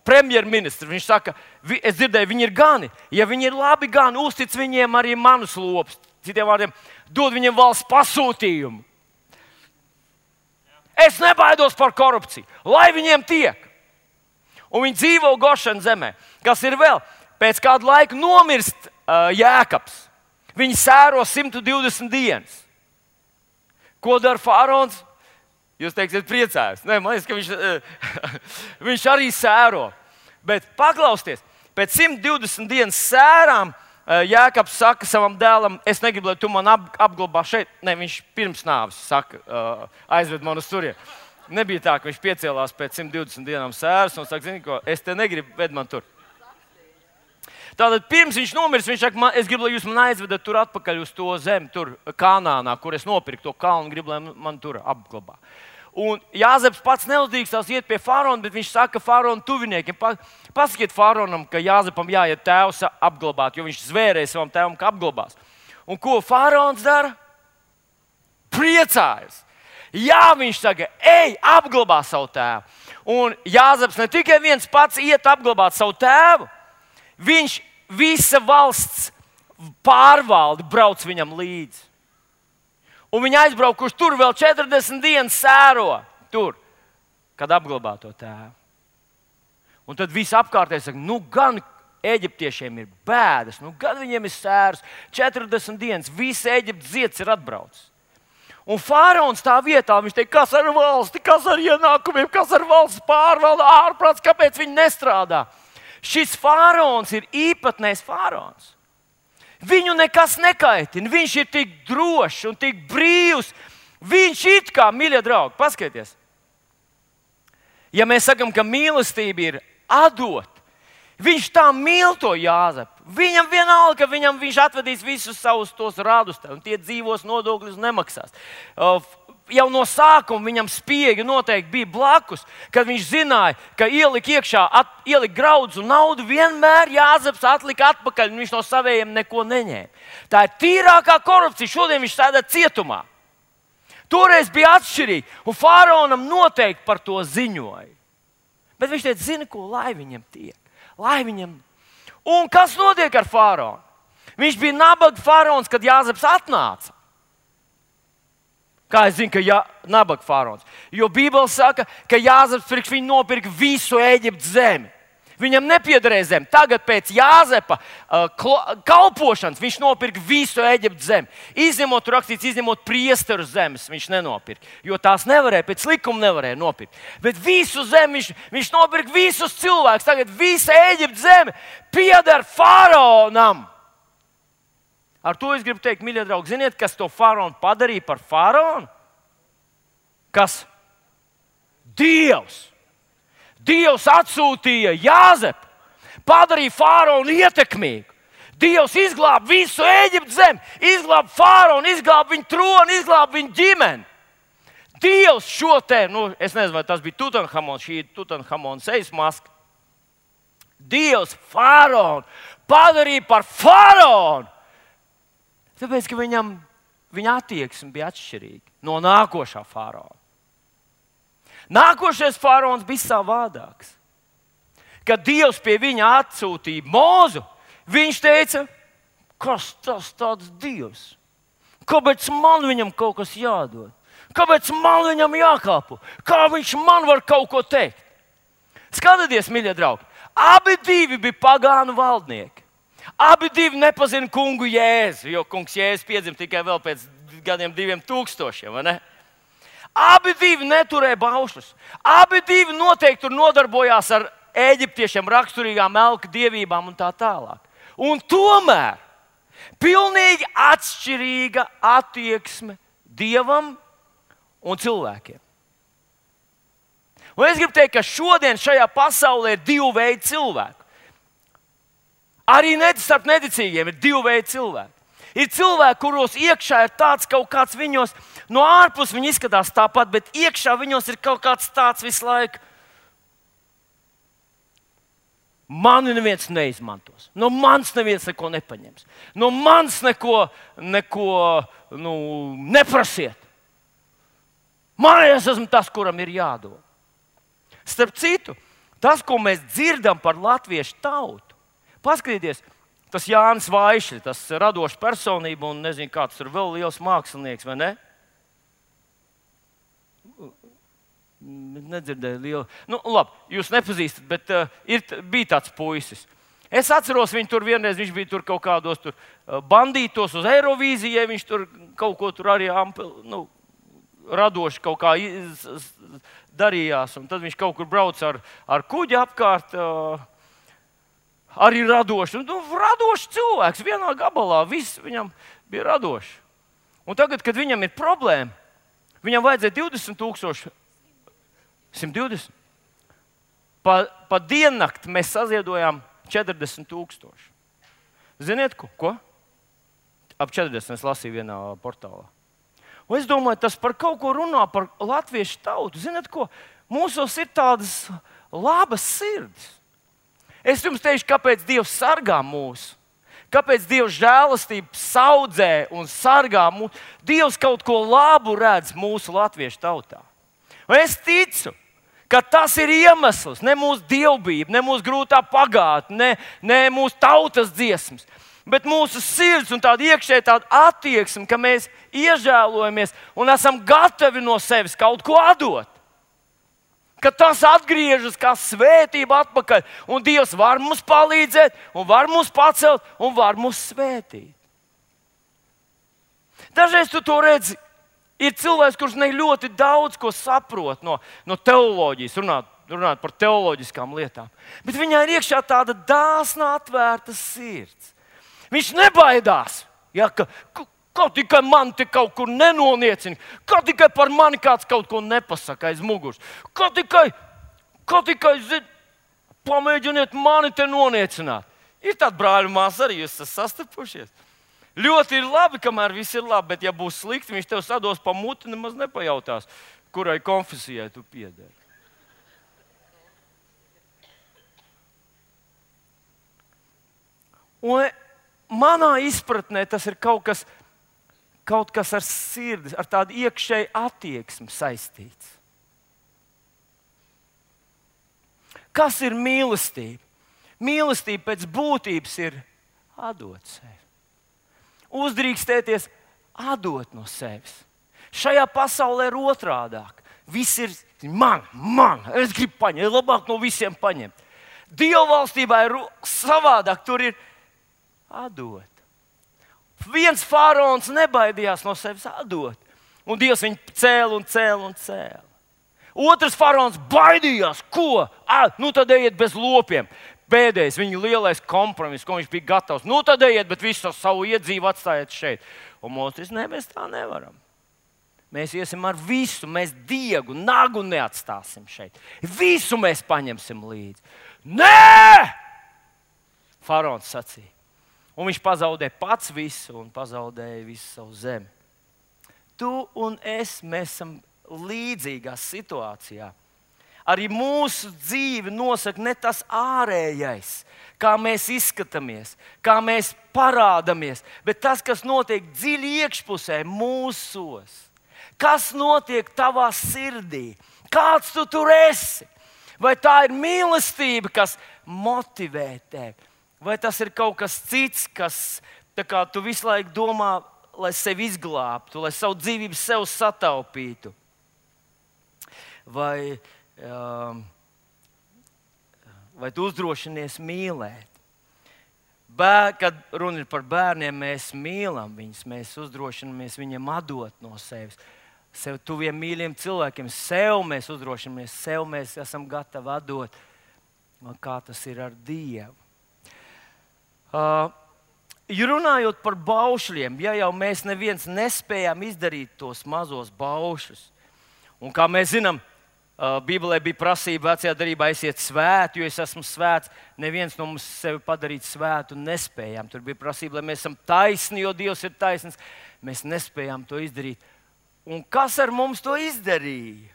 premjerministrs, viņš saka, es dzirdēju, viņi ir gani. Ja viņi ir labi gani, uztic viņiem arī manus lopus. Citiem vārdiem, dod viņiem valsts pasūtījumu. Es nebaidos par korupciju, lai viņiem tiek. Un viņi dzīvo Gošana zemē. Kas ir vēl? Pēc kāda laika nomirst Jēkabs. Viņi sēro 120 dienas. Ko dara faraons? Jūs teiksiet, priecājos. Nē, man liekas, ka viņš arī sēro. Bet paklausieties, pēc 120 dienas sērām Jēkabs saka savam dēlam, es negribu, lai tu man apglabā šeit. Nē, viņš pirms nāves saka, aizved man uz turieni. Nebija tā, ka viņš piecēlās pēc 120 dienām sēras un saka, zini ko, es te negribu, ved man tur. Tātad pirms viņš nomirs, viņš saka, es gribu, lai jūs man aizvedat tur atpakaļ uz to zemi, tur Kanānā, kur es nopirku to kalnu, gribu, lai man tur apglabā. Un Jāzeps pats neuzdrīkstās iet pie faraona, bet viņš saka faraona tuviniekiem, pasakiet faraonam, ka Jāzepam jāiet tēvs apglabāt, jo viņš zvērēja savam tēvam, ka apglabās. Un ko faraons dara? Priecājas. Jā, viņš saka, ej, apglabā savu tēvu. Un Jāzeps ne tikai viens pats iet apglabāt savu tēvu, viņš visa valsts pārvalde brauc viņam līdzi. Un viņi aizbraukuši tur vēl 40 dienas sēro, tur, kad apglabā to tēvu. Un tad visi apkārtēji saka, gan eģiptiešiem ir bēdas, gan viņiem ir sēras, 40 dienas, visi Eģiptes zieds ir atbraucis. Un faraons tā vietā, viņš teica, kas ar valsti, kas ar ienākumiem, kas ar valsts pārvalde, ārprāts, kāpēc viņi nestrādā? Šis faraons ir īpatnējs faraons. Viņu nekas nekaitina, viņš ir tik drošs un tik brīvs. Viņš it kā, mīļie draugi, paskatieties. Ja mēs sakam, ka mīlestība ir atdot, viņš tā mīl to Jāzepu. Viņam vienalga, ka viņš atvedīs visus savus tos radus, un tie dzīvos nodokļus nemaksās. Jau no sākuma viņam spiegi noteikti bija blakus, kad viņš zināja, ka ielikt iekšā, ielikt graudus un naudu, vienmēr Jāzeps atlika atpakaļ, un viņš no savējiem neko neņēma. Tā ir tīrākā korupcija. Šodien viņš sēdē cietumā. Toreiz bija atšķirīgi, un faraonam noteikti par to ziņoja. Bet viņš teica, zini ko, lai viņam tiek. Lai viņam. Un kas notiek ar faraonu? Viņš bija nabaga faraons, kad Jāzeps atnāca. Kā es zinu, ka nabaga faraons? Jo Bībele saka, ka Jāzeps priekš viņu nopirka visu Eģiptes zemi. Viņam nepiederēja zeme. Tagad pēc Jāzepa kalpošanas viņš nopirka visu Eģiptes zemi. Izņemot, rakstīts, izņemot priesteru zemes, viņš nenopirka. Jo tās nevarēja, pēc likuma nevarēja nopirkt. Bet visu zemi viņš nopirka visus cilvēkus. Tagad visa Eģiptes zeme pieder faraonam. Ar to es gribu teikt, mīļie draugi, ziniet, kas to faraonu padarīja par faraonu? Kas? Dievs! Dievs atsūtīja Jāzepu, padarīja faraonu ietekmīgu. Dievs izglāba visu Eģiptes zemi, izglāba faraonu, izglāba viņa troni, izglāba viņa ģimeni. Dievs šo te, es nezinu, vai tas bija Tutanhamons, šī ir Tutanhamona sejas maska. Dievs faraonu padarīja par faraonu. Tāpēc, ka viņa attieksme bija atšķirīga no nākošā faraona. Nākošais faraons bija savādāks. Kad Dievs pie viņa atsūtīja Mozu, viņš teica, kas tas tāds Dievs? Kāpēc man viņam kaut kas jādod? Kāpēc man viņam jākalpo? Kā viņš man var kaut ko teikt? Skatieties, mīļie draugi, abi divi bija pagānu valdnieki. Abi divi nepazina kungu Jēzu, jo kungs Jēzus piedzima tikai vēl pēc gadiem 2000, vai ne? Abi divi neturēja baušļus. Abi divi noteikti tur nodarbojās ar eģiptiešiem raksturīgām elku dievībām un tā tālāk. Un tomēr pilnīgi atšķirīga attieksme Dievam un cilvēkiem. Un es gribu teikt, ka šodien šajā pasaulē ir divu veidu cilvēku. Arī starp neticīgiem ir divu veidu cilvēki. Ir cilvēki, kuros iekšā ir tāds kaut kāds viņos, no ārpus viņi izskatās tāpat, bet iekšā viņos ir kaut kāds tāds visu laiku. Mani neviens neizmantos. No manis neviens neko nepaņems. No manis neko neprasiet. Man es esmu tas, kuram ir jādod. Starp citu, tas, ko mēs dzirdam par latviešu tautu, paskatieties, tas Jānis Vaišļs, tas radošs personība un nezinu, kāds tur vēl liels mākslinieks, vai ne? Nedzirdēju lielu. Nu, labi, jūs nepazīstat, bet bija tāds puisis. Es atceros viņu tur vienreiz, viņš bija tur kaut kādos tur bandītos uz Eirovīzijai, viņš tur kaut ko tur arī radoši kaut kā darījās, un tad viņš kaut kur brauc ar kuģi apkārt, arī radoši. Radošs cilvēks vienā gabalā, viss viņam bija radoši. Un tagad, kad viņam ir problēma, viņam vajadzēja 20,000, 120. Pa diennakti mēs saziedojām 40,000. Ziniet, ko? Ap 40 es lasīju vienā portālā. Un es domāju, tas par kaut ko runā par latviešu tautu. Ziniet, ko? Mūsos ir tādas labas sirds. Es jums teikšu, kāpēc Dievs sargā mūs. Kāpēc Dievs žēlastību saudzē un sargā mūs. Dievs kaut ko labu redz mūsu latviešu tautā. Un es ticu, ka tas ir iemesls, ne mūsu dievbijība, ne mūsu grūtā pagātne, ne mūsu tautas dziesmas, bet mūsu sirds un tāda iekšēja tāda attieksme, ka mēs iežēlojamies un esam gatavi no sevis kaut ko atdot. Ka tas atgriežas kā svētība atpakaļ, un Dievs var mums palīdzēt, un var mums pacelt, un var mums svētīt. Dažreiz tu to redzi. Ir cilvēks, kurš ne ļoti daudz ko saprot no teoloģijas, runāt par teoloģiskām lietām. Bet viņā ir iekšā tāda dāsna, atvērta sirds. Viņš nebaidās, ja, ka tikai man te kaut kur nenoniecina, ka tikai par mani kāds kaut ko nepasaka aiz muguras, ka tikai pamēģiniet mani te noniecināt. Ir tādi brāļi un māsas arī, jūs esat sastapušies. Ļoti ir labi, kamēr viss ir labi, bet ja būs slikti, viņš tev sados pa muti, nemaz nepajautās, kurai konfesijai tu piederi. Un manā izpratnē tas ir kaut kas ar sirdi, ar tādu iekšēju attieksmi saistīts. Kas ir mīlestība? Mīlestība pēc būtības ir atdot sevi. Uzdrīkstēties, atdot no sevis. Šajā pasaulē ir otrādāk. Viss ir man, es gribu paņemt, labāk no visiem paņemt. Dieva valstībā ir savādāk, tur ir atdot. Viens faraons nebaidījās no sevis atdot, un Dievs viņu cēla. Otrs faraons baidījās, ko? Nu tad ejiet bez lopiem. Pēdējais, viņa lielais kompromiss, ko viņš bija gatavs. Nu tad ejiet, bet visu savu iedzīvu atstājiet šeit. Un Mozus, mēs tā nevaram. Mēs iesim ar visu, mēs diegu, nagu neatstāsim šeit. Visu mēs paņemsim līdzi. Nē! Faraons sacīja. Un viņš pazaudēja pats visu un pazaudēja visu savu zemi. Tu un es, mēs esam līdzīgā situācijā. Arī mūsu dzīve nosaka ne tas ārējais, kā mēs izskatāmies, kā mēs parādāmies, bet tas, kas notiek dziļi iekšpusē mūsos. Kas notiek tavā sirdī? Kāds tu tur esi? Vai tā ir mīlestība, kas motivē tevi? Vai tas ir kaut kas cits, kas tu visu laiku domā, lai sevi izglābtu, lai savu dzīvību sev sataupītu? Vai tu uzdrošinies mīlēt? Kad runa ir par bērniem, mēs mīlam viņus, mēs uzdrošinamies viņiem atdot no sevis. Sev tuviem mīļiem cilvēkiem, sev mēs uzdrošinamies, sev mēs esam gatavi atdot. Kā tas ir ar Dievu? Runājot par baušļiem, ja jau mēs neviens nespējām izdarīt tos mazos baušļus, un kā mēs zinām, Bībelē bija prasība vecajā darbā, esiet svēti, jo es esmu svēts. Neviens no mums sevi padarīt svētu nespējām. Tur bija prasība, lai mēs esam taisni, jo Dievs ir taisns. Mēs nespējām to izdarīt. Un kas ar mums to izdarīja?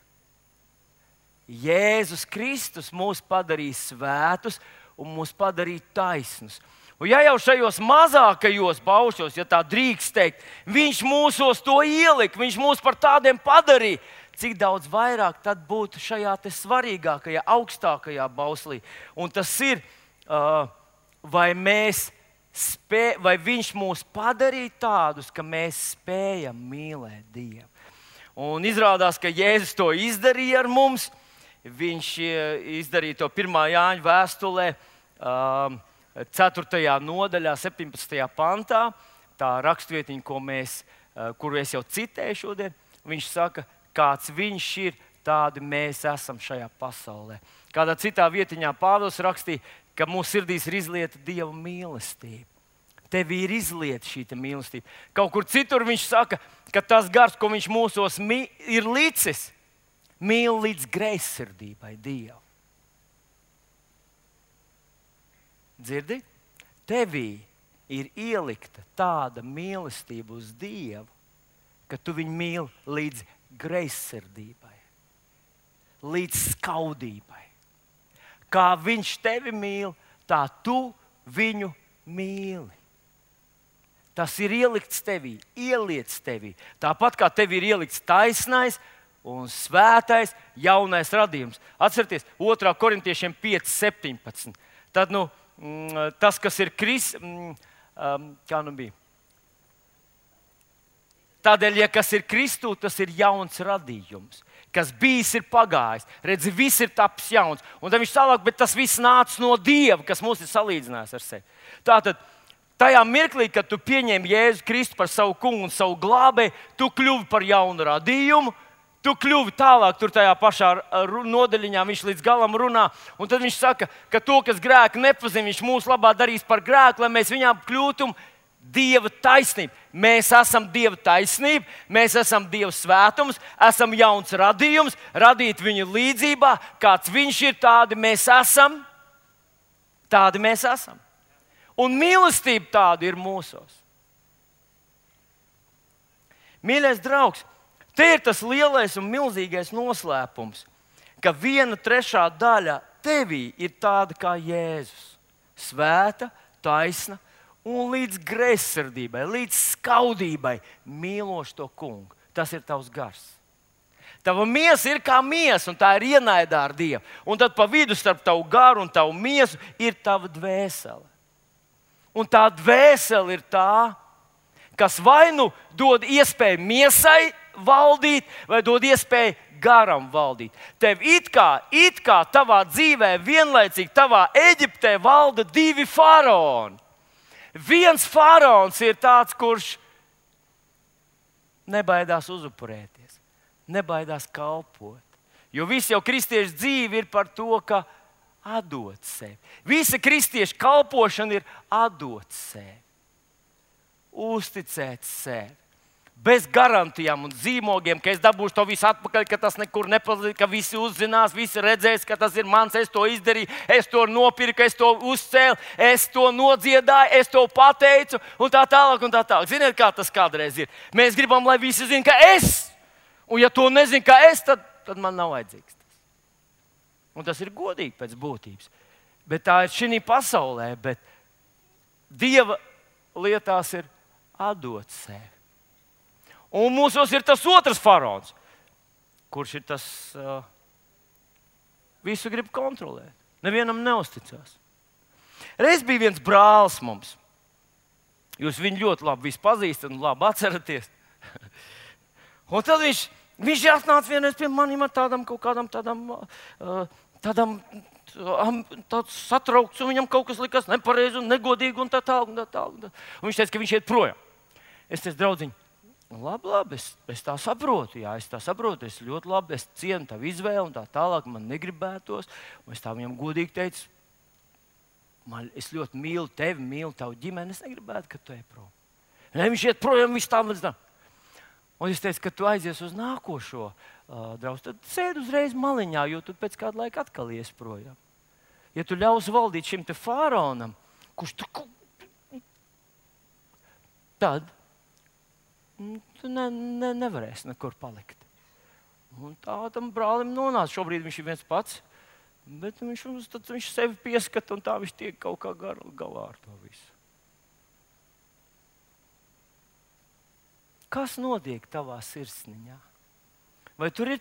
Jēzus Kristus mūs padarīja svētus un mūs padarīja taisnus. Un ja jau šajos mazākajos baušos, ja tā drīkst teikt, viņš mūsos to ielika, viņš mūs par tādiem padarīja, cik daudz vairāk tad būtu šajā te svarīgākajā, augstākajā bauslī. Un tas ir, vai viņš mūs padarīja tādus, ka mēs spējam mīlēt Dievu. Un izrādās, ka Jēzus to izdarīja ar mums. Viņš izdarīja to 1. Jāņa vēstulē, 4. nodaļā, 17. pantā. Tā rakstvietiņa, kuru es jau citēju šodien. Viņš saka, kāds viņš ir, tādi mēs esam šajā pasaulē. Kādā citā vietiņā Pāvils rakstīja, ka mūsu sirdīs ir izlieta Dieva mīlestība. Tev ir izlieta šī mīlestība. Kaut kur citur viņš saka, ka tas gars, ko viņš mūsos ir licis, mīl līdz greizsirdībai Dievu. Dzirdi? Tevī ir ielikta tāda mīlestība uz Dievu, ka tu viņu mīli līdz greizsirdībai, līdz skaudībai. Kā viņš tevi mīl, tā tu viņu mīli. Tas ir ielikts tevī, ieliets tevī. Tāpat kā tev ir ielikts taisnais un svētais jaunais radījums. Atcerieties, 2. Korintiešiem 5:17. Tad, tas, kas ir kā bija? Tādēļ, ja kas ir Kristū, tas ir jauns radījums. Kas bijis, ir pagājis. Redzi, viss ir tapis jauns. Un tad viņš tālāk, bet tas viss nāca no Dieva, kas mūs ir salīdzinājis ar sevi. Tātad, tajā mirklī, kad tu pieņem Jēzu Kristu par savu kungu un savu glābēju, tu kļuvi par jaunu radījumu. Tu kļuvi tālāk, tur tajā pašā nodaļiņā viņš līdz galam runā. Un tad viņš saka, ka to, kas grēku nepazina, viņš mūsu labā darīs par grēku, lai mēs viņām kļūtum Dieva taisnība. Mēs esam Dieva taisnība, mēs esam Dieva svētums, esam jauns radījums, radīt viņu līdzībā, kāds viņš ir, tādi mēs esam. Tādi mēs esam. Un mīlestība tāda ir mūsos. Mīļais draugs, te ir tas lielais un milzīgais noslēpums, ka 1/3 daļa tevī ir tāda kā Jēzus. Svēta, taisna un līdz greizsirdībai, līdz skaudībai mīloši to kungu. Tas ir tavs gars. Tava miesa ir kā miesa, un tā ir ienaidā ar Dievu. Un tad pa vidu starp tavu garu un tavu miesu ir tava dvēsele. Un tā dvēsele ir tā, kas vai nu dod iespēju miesai valdīt, vai dod iespēju garam valdīt. Tev it kā tavā dzīvē vienlaicīgi tavā Eģiptē valda 2 faraoni. Viens faraons ir tāds, kurš nebaidās uzupurēties, nebaidās kalpot. Jo visi jau kristiešu dzīve ir par to, ka atdot sevi. Visa kristiešu kalpošana ir atdot sevi, uzticēt sevi. Bez garantijām un zīmogiem, ka es dabūšu to visu atpakaļ, ka tas nekur nepazudīs, ka visi uzzinās, visi redzēs, ka tas ir mans, es to izdarīju, es to nopirku, es to uzcēlu, es to nodziedāju, es to pateicu, un tā tālāk. Ziniet, kā tas kādreiz ir? Mēs gribam, lai visi zina, ka es, un ja to nezina, ka es, tad man nav vajadzīgs tas. Un tas ir godīgi pēc būtības. Bet tā ir šī pasaulē, bet Dieva lietās ir atdot sevi. Un mūsos ir tas otrs faraons, kurš ir tas visu grib kontrolēt. Nevienam neusticās. Reiz bija viens brālis mums. Jūs viņu ļoti labi pazīstat un labi atceraties. Un tad viņš atnāca vienreiz pie maniem ar tādām satraukts, un viņam kaut kas likās nepareizi un negodīgi un tā tālāk. Un viņš teica, ka viņš iet projām. Es teicu, draudziņ, labi, es tā saprotu, es ļoti labi, es cienu tavu izvēli un tā tālāk, man negribētos. Un es tā viņam godīgi teicu, es ļoti mīlu tevi, mīlu tavu ģimeni, es negribētu, ka tu ej prom. Ne, viņš iet projām, viss tā līdz tam. Un es teicu, ka tu aizies uz nākošo draugu, tad sēdi uzreiz maliņā, jo tu pēc kāda laika atkal ies projām. Ja tu ļausi valdīt šim te faraonam, kurš tur tad tu nevarēsi nekur palikt. Un tā tam brālim nonāca. Šobrīd viņš ir viens pats, bet viņš sevi pieskata un tā viņš tiek kaut kā galā ar to visu. Kas notiek tavā sirsniņā? Vai tur ir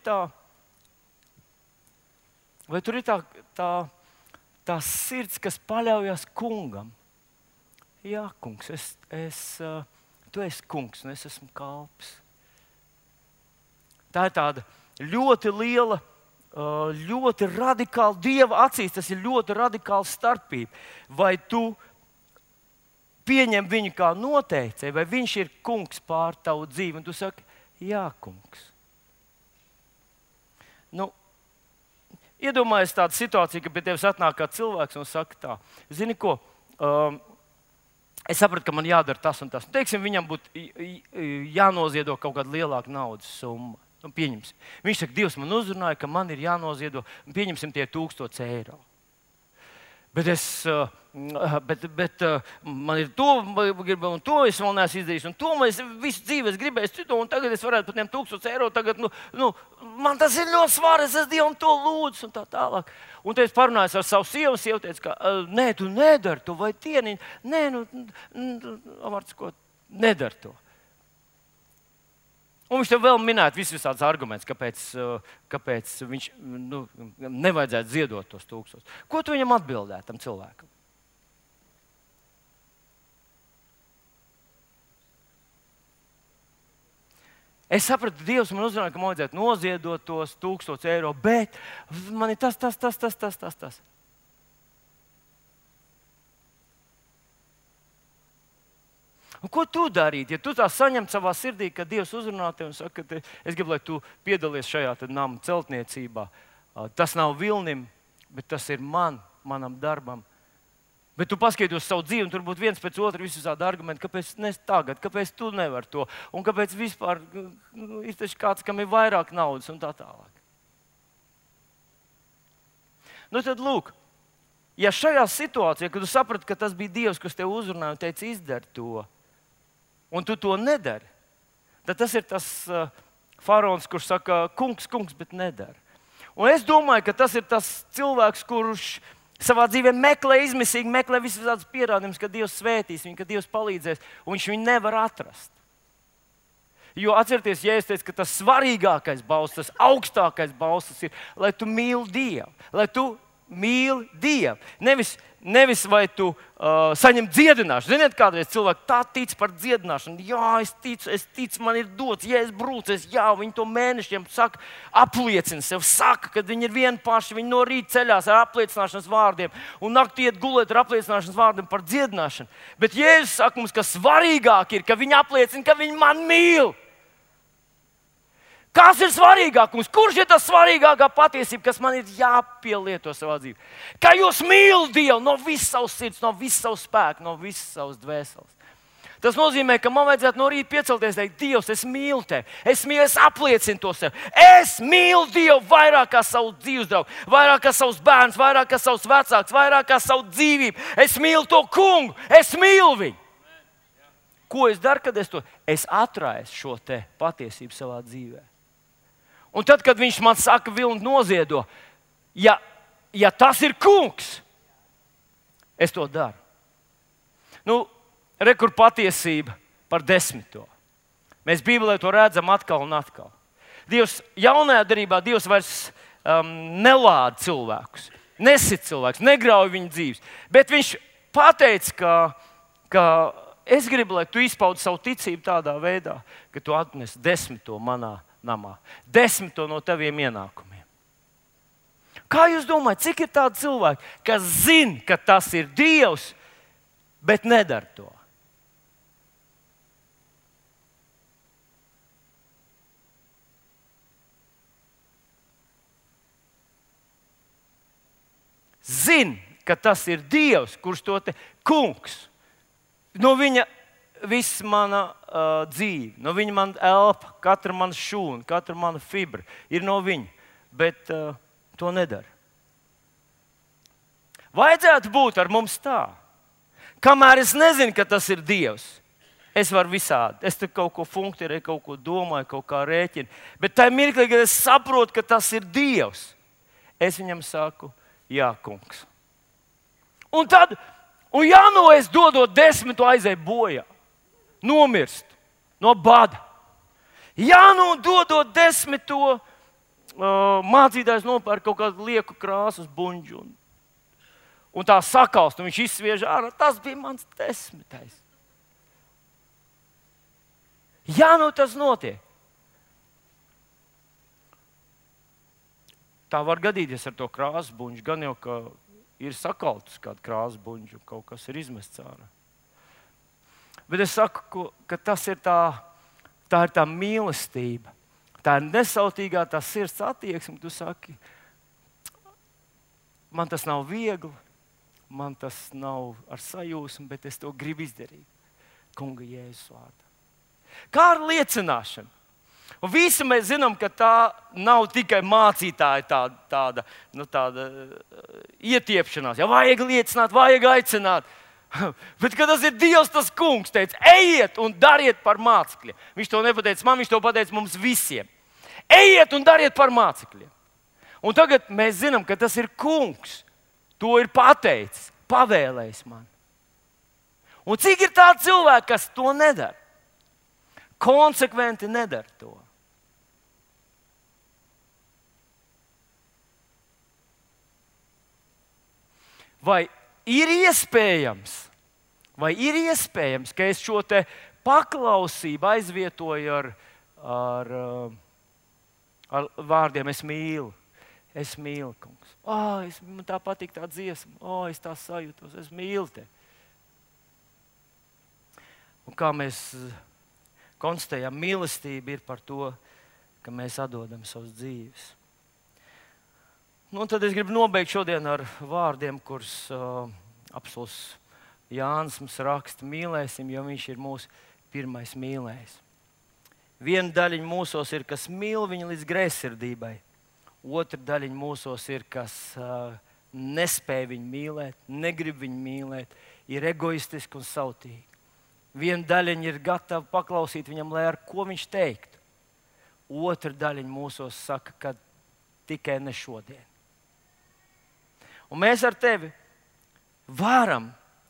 tā sirds, kas paļaujas kungam? Jā, kungs, tu esi kungs un es esmu kalps. Tā ir tāda ļoti liela, ļoti radikāla Dieva acīs. Tas ir ļoti radikāla starpība. Vai tu pieņem viņu kā noteicēju, vai viņš ir kungs pār tavu dzīvi? Un tu saki, jā, kungs. Iedomājies tādu situāciju, ka pie tevis atnāk kāds cilvēks un saka tā, zini ko, es sapratu, ka man jādara tas un tas. Teiksim, viņam būtu jānoziedo kaut kāda lielāka naudas summa. Pieņemsim. Viņš saka, Dievs man uzrunāja, ka man ir jānoziedo, pieņemsim tie 1000 eiro. Bet man ir to, un to es vēl neesmu izdarījis, un to es visu dzīvi gribēju citu, un tagad es varētu par tiem 1000 eiro, tagad, man tas ir ļoti svarīgi, es Dievam to lūdzu, un tā tālāk. Un te es parunāju ar savu sievu, sieva teica, ka, nē, tu nedari to, vai tieniņ, nē, Amarts, ko, nedari to. Un viņš tev vēl minēja visādus argumentus, kāpēc viņš nevajadzētu ziedot tos 1000. Ko tu viņam atbildētu, tam cilvēkam? Es sapratu, Dievs man uzrunāja, ka man vajadzētu noziedot tos 1000 eiro, bet man ir tas. Un ko tu darītu, ja tu tā saņemtu savā sirdī, ka Dievs uzrunā tevi un saka, ka es gribu, lai tu piedalies šajā nama celtniecībā. Tas nav Vilnim, bet tas ir manam darbam. Bet tu paskaties uz savu dzīvi, un tur būtu viens pēc otra visādi argumenti, kāpēc ne tagad, kāpēc tu nevari to, un kāpēc vispār ir taču kāds, kam ir vairāk naudas un tā tālāk. Tad lūk, ja šajā situācijā, kad tu saprati, ka tas bija Dievs, kas tev uzrunāja un teica, izdari to, un tu to nedari, tad tas ir tas faraons, kurš saka, kungs, bet nedara. Un es domāju, ka tas ir tas cilvēks, kurš savā dzīvē meklē visādas pierādījumus, ka Dievs svētīs viņu, ka Dievs palīdzēs, un viņš viņu nevar atrast. Jo atcerieties, ja es teicu, ka tas svarīgākais balsts, tas augstākais balsts ir, lai tu mīli Dievu, lai tu mīli Dievu. Nevis vai tu saņem dziedināšanu. Ziniet, kādreiz cilvēki tā tic par dziedināšanu. Jā, es ticu, man ir dots, ja es brūcu, viņi to mēnešiem saka, apliecina sev, saka, ka viņi ir vieni paši, viņi no rīta ceļās ar apliecināšanas vārdiem un naktī iet gulēt ar apliecināšanas vārdiem par dziedināšanu. Bet Jēzus saka mums, ka svarīgāk ir, ka viņi apliecina, ka viņi man mīl. Kas ir svarīgāk mums? Kurš ir tas svarīgākā patiesība, kas man ir jāpielieto savā dzīvē? Ka jūs mīlat Dievu no visas savas sirds, no visas savas spēka, no visas savas dvēseles. Tas nozīmē, ka man vajadzētu no rīta piecelties un teikt, Dievs, es mīlu tevi. Es apliecinu to sev. Es mīlu Dievu vairāk kā savu dzīves draugu, vairāk kā savus bērnus, vairāk kā savus vecākus, vairāk kā savu dzīvību. Es mīlu to kungu, es mīlu viņu. Ko es daru, kad es atraisu šo te patiesību savā dzīvē? Un tad, kad viņš man saka, Vilni noziedo, ja tas ir kungs, es to daru. Kur patiesība par 10. Mēs Bībelē to redzam atkal un atkal. Dievs jaunajā darbā vairs nelāda cilvēkus, nesit cilvēkus, negrauj viņu dzīves. Bet viņš pateica, ka es gribu, lai tu izpaudi savu ticību tādā veidā, ka tu atnesi 10. manā namā. 10. no taviem ienākumiem. Kā jūs domājat, cik ir tādi cilvēki, kas zina, ka tas ir Dievs, bet nedara to? Zina, ka tas ir Dievs, kurš to te kungs. No viņa viss mana dzīve, no viņa man elpa, katra mana šūna, katra mana fibra ir no viņa, bet to nedara. Vajadzētu būt ar mums tā. Kamēr es nezinu, ka tas ir Dievs, es varu visādi. Es te kaut ko funkcionēju, kaut ko domāju, kaut kā rēķinu. Bet tajā mirklī, kad es saprotu, ka tas ir Dievs, es viņam saku, jā, kungs. Un tad, es dodot 10, aizēju bojā. Nomirst no bada. Dodot 10, mācītājs nopērk kaut kādu lieku krāsas buņģu. Un tā sakalst, un viņš izsviež ārā. Tas bija mans 10. Tas notiek. Tā var gadīties ar to krāsas buņģu. Gan jau, ka ir sakaltus kāda krāsas buņģa, un kaut kas ir izmests ārā. Bet es saku, ka tas ir tā ir tā mīlestība. Tā ir nesautīgā, tā sirds attieksme. Tu saki, man tas nav viegli. Man tas nav ar sajūsmu, bet es to gribu izdarīt. Kunga Jēzus vārdā. Kā ar liecināšanu? Un visi mēs zinām, ka tā nav tikai mācītāja tāda ietiepšanās. Ja vajag liecināt, vajag aicināt. Bet, kad tas ir Dievs, tas kungs teica, ejiet un dariet par mācekļiem. Viņš to nepateica man, viņš to pateica mums visiem. Ejiet un dariet par mācekļiem. Un tagad mēs zinām, ka tas ir kungs. To ir pateicis, pavēlējis man. Un cik ir tādi cilvēki, kas to nedara? Konsekventi nedara to. Vai ir iespējams, ka es šo te paklausību aizvietoju ar vārdiem es mīlu? Es mīlu, kungs. Man tā patīk tā dziesma. Es tā sajūtos. Es mīlu tevi. Un kā mēs konstatējam, mīlestība ir par to, ka mēs atdodam savas dzīves. Tad es gribu nobeigt šodien ar vārdiem, kurus apostols Jānis mums raksta. Mīlēsim, jo viņš ir mūsu pirmais mīlējs. Viena daļiņa mūsos ir, kas mīl viņu līdz greizsirdībai. Otra daļiņa mūsos ir, kas nespēj viņu mīlēt, negrib viņu mīlēt, ir egoistiski un sautīgi. Viena daļiņa ir gatava paklausīt viņam, lai ar ko viņš teiktu. Otra daļiņa mūsos saka, ka tikai ne šodien. Un mēs ar tevi varam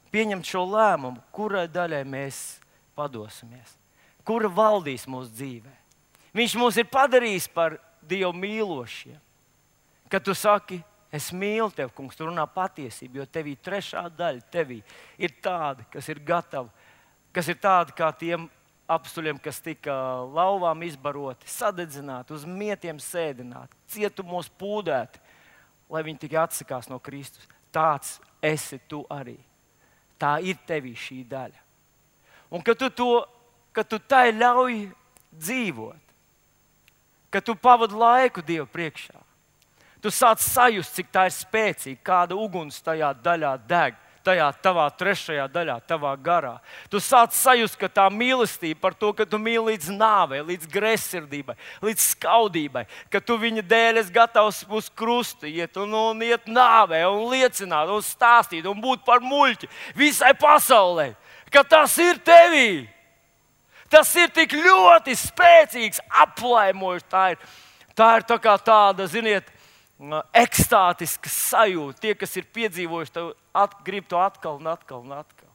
pieņemt šo lēmumu, kurai daļai mēs padosimies, kura valdīs mūsu dzīvē. Viņš mūs ir padarījis par Dievu mīlošiem. Kad tu saki, es mīlu tevi, kungs, tu runā patiesību, jo tevī trešā daļa tevī ir tāda, kas ir gatava, kas ir tāda kā tiem apstuļiem, kas tika lauvām izbaroti, sadedzināti, uz mietiem sēdināti, cietumos pūdēti, lai viņi tikai atsakās no Kristus. Tāds esi tu arī. Tā ir tevī šī daļa. Un kad tu tai ļauj dzīvot, kad tu pavadi laiku Dievu priekšā, tu sāc sajust, cik tā ir spēcīga, kāda uguns tajā daļā deg, tajā tavā trešajā daļā, tavā garā. Tu sāc sajust, ka tā mīlestība par to, ka tu mīli līdz nāvei, līdz greizsirdībai, līdz skaudībai, ka tu viņa dēļ esi gatavs uz krustu iet un iet nāvei un liecināt un stāstīt un būt par muļķi visai pasaulē, ka tas ir tevī. Tas ir tik ļoti spēcīgs, aplaimojošs. Tā ir tā kā tāda, ziniet, ekstātiska sajūta. Tie, kas ir piedzīvojuši, grib to atkal un atkal un atkal.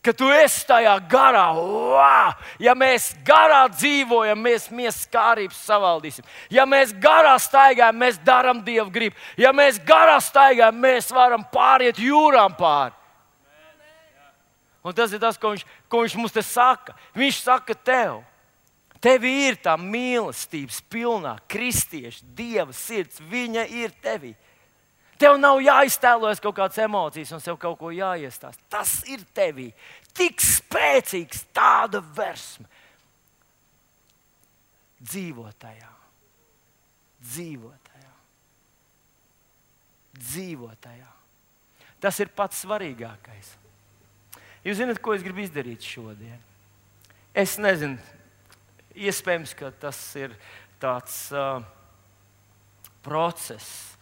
Ka tu esi tajā garā. Wow! Ja mēs garā dzīvojam, mēs skārības savaldīsim. Ja mēs garā staigājam, mēs darām Dievu gribu. Ja mēs garā staigājam, mēs varam pāriet jūrām pāri. Un tas ir tas, ko viņš mums te saka. Viņš saka tev ir tā mīlestības pilnā kristieša, Dieva sirds. Viņa ir tevī. Tev nav jāiztēlojas kaut kādas emocijas un sev kaut ko jāiestāst. Tas ir tevī. Tik spēcīgs tāda versme. Dzīvotajā. Tas ir pats svarīgākais. Jūs zināt, ko es gribu izdarīt šodien? Es nezinu, iespējams, ka tas ir tāds process.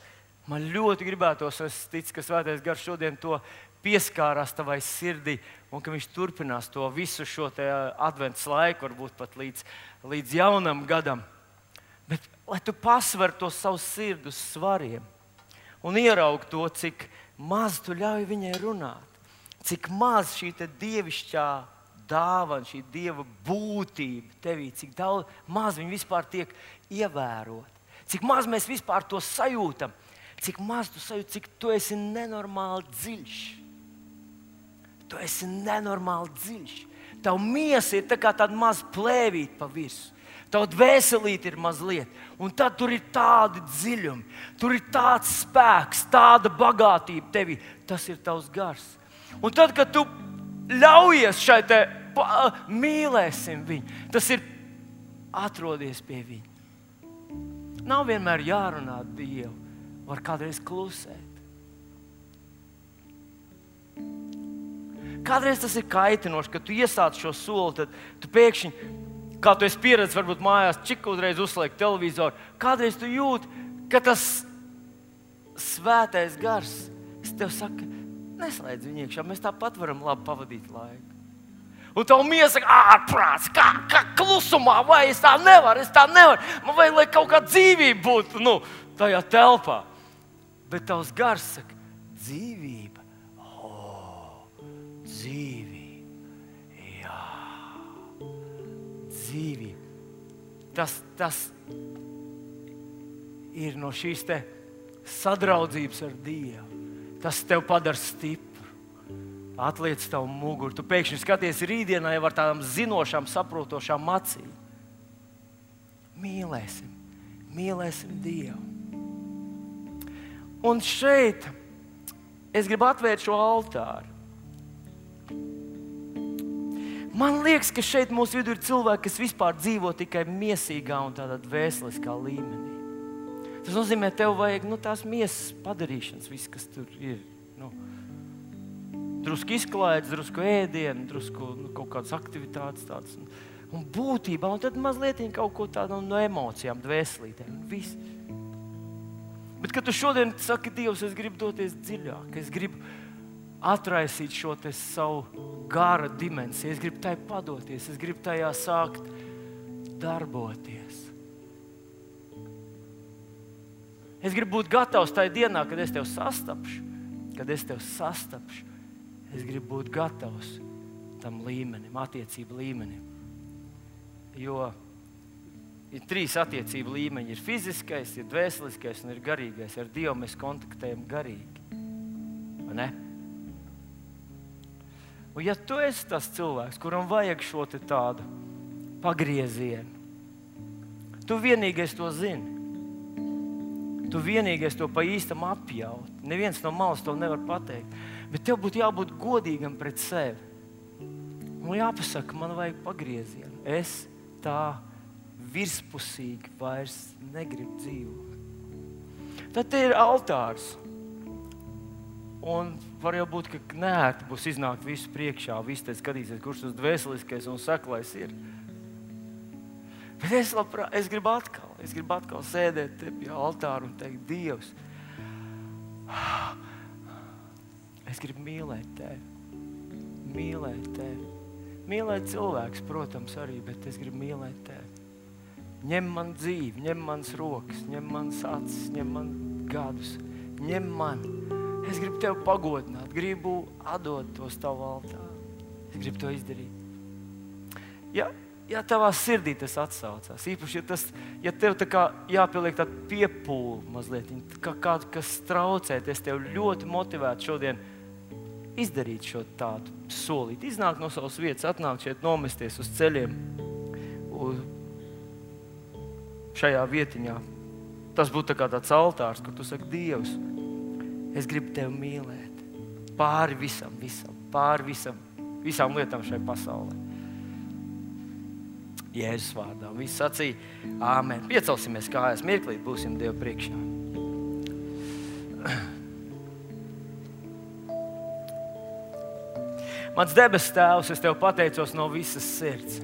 Man ļoti gribētos, es ticu, ka Svētais Gars šodien to pieskārās tavai sirdī un ka viņš turpinās to visu šo te adventas laiku, varbūt pat līdz jaunam gadam. Bet lai tu pasver to savu sirdi uz svariem un ieraugi to, cik maz tu ļauj viņai runāt, cik maz šī te dievišķā dāvana, šī dieva būtība tevī, cik daudz maz viņa vispār tiek ievērot, cik maz mēs vispār to sajūtam, cik maz tu sajūti, cik tu esi nenormāli dziļš. Tu esi nenormāli dziļš. Tava miesa ir tā kā tāda maza plēvīte pa visu. Tava dvēselīte ir mazliet. Un tad tur ir tādi dziļumi. Tur ir tāds spēks, tāda bagātība tevī. Tas ir tavs gars. Un tad, kad tu ļaujies šai te mīlēsim viņu, tas ir atrodies pie viņa. Nav vienmēr jārunā Dievu. Var kādreiz klusēt. Kādreiz tas ir kaitinoši, kad tu iesāc šo soli, tad tu pēkšņi, kā tu esi pieredzējis, varbūt mājās, čik uzreiz uzliek televizoru, kādreiz tu jūti, ka tas Svētais Gars, es tev saku, neslēdz viņu iekšā, mēs tāpat varam labi pavadīt laiku. Un tavu miesa saka, ārprāts, kā klusumā, vai es tā nevaru, man vajag, lai kaut kā dzīvība būtu, tajā telpā. Bet tavs gars saka, dzīvība. Dzīvība. Jā. Dzīvība. Tas ir no šīs te sadraudzības ar Dievu. Tas tev padara stipru. Atliec tavu muguru. Tu pēkšņi skaties rītdienā jau ar tādām zinošām, saprotošām acīm. Mīlēsim Dievu. Un šeit es gribu atvērt šo altāru. Man liekas, ka šeit mūsu vidū ir cilvēki, kas vispār dzīvo tikai miesīgā un tādā dvēseliskā līmenī. Tas nozīmē, tev vajag tās miesas padarīšanas, viss, kas tur ir. Drusku izklaides, drusku ēdienu, drusku kaut kādas aktivitātes tādas. Un būtībā, un tad mazliet kaut ko tādu no emocijām, dvēselītēm. Viss. Bet, kad tu šodien saki, Dievs, es gribu doties dziļāk, es gribu atraisīt šo te savu gara dimensiju, es gribu tai padoties, es gribu tajā sākt darboties. Es gribu būt gatavs tajā dienā, kad es tev sastapšu, es gribu būt gatavs tam līmenim, attiecību līmenim. Jo ir 3 attiecību līmeņi. Ir fiziskais, ir dvēseliskais un ir garīgais. Ar Dievu mēs kontaktējam garīgi. Vai ne? Un ja tu esi tas cilvēks, kuram vajag šo te tādu pagriezienu, tu vienīgais to zini. Tu vienīgais to pa īstam apjaut. Neviens no malas to nevar pateikt. Bet tev būtu jābūt godīgam pret sevi. Un jāpasaka, man vajag pagriezienu. Es tā virspusīgi vairs negribu dzīvot. Tad te ir altārs. Un var jau būt, ka neērti būs iznākt visu priekšā, visi te skatīsies, kurš tas dvēseliskais un saklais ir. Bet es gribu atkal sēdēt te pie altāra un teikt, Dievs, es gribu mīlēt tevi. Mīlēt cilvēks, protams, arī, bet es gribu mīlēt tevi. Ņem man dzīvi, ņem manas rokas, ņem manas acis, ņem man gadus, ņem man. Es gribu tevi pagodināt, gribu atdot to uz tavu altāru. Es gribu to izdarīt. Ja tavā sirdī tas atsaucās, īpaši, ja tev tā kā jāpieliek tāda piepūle mazliet, kā kādu, kas traucēt, es tev ļoti motivētu šodien izdarīt šo tādu solīt, iznākt no savas vietas, atnākt šeit, nomesties uz ceļiem, šajā vietiņā. Tas būtu tā kā tāds altārs, kur tu saki, Dievs, es gribu tevi mīlēt pāri visam, visām lietām šai pasaulē. Jēzus vārdā. Visi sacīja, āmen. Piecelsimies kājās, mirklīt būsim Dievu priekšā. Mans debes Tēvs, es Tev pateicos no visas sirds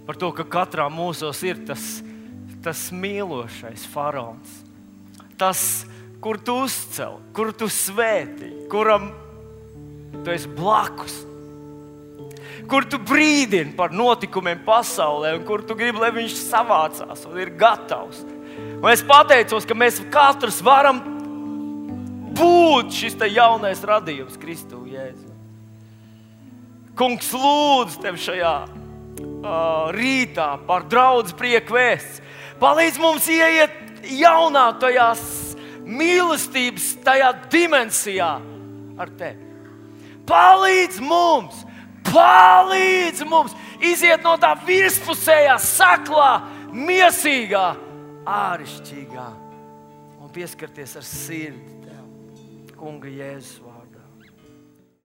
par to, ka katrā mūsos ir tas mīlošais faraons. Tas, kur Tu uzcel, kur Tu svētī, kuram Tu esi blakus, kur Tu brīdini par notikumiem pasaulē un kur Tu gribi, lai viņš savācās un ir gatavs. Un es pateicos, ka mēs katrs varam būt šis te jaunais radījums Kristu Jēzu. Kungs, lūdzu Tev šajā rītā par draudz prieku vēsts. Palīdz mums ieiet jaunā tajās mīlestības, tajā dimensijā ar Tevi. Palīdz mums iziet no tā virspusējā, saklā, miesīgā, āršķirīgā un pieskarties ar sirdi Tev, Kunga Jēzus vārdā.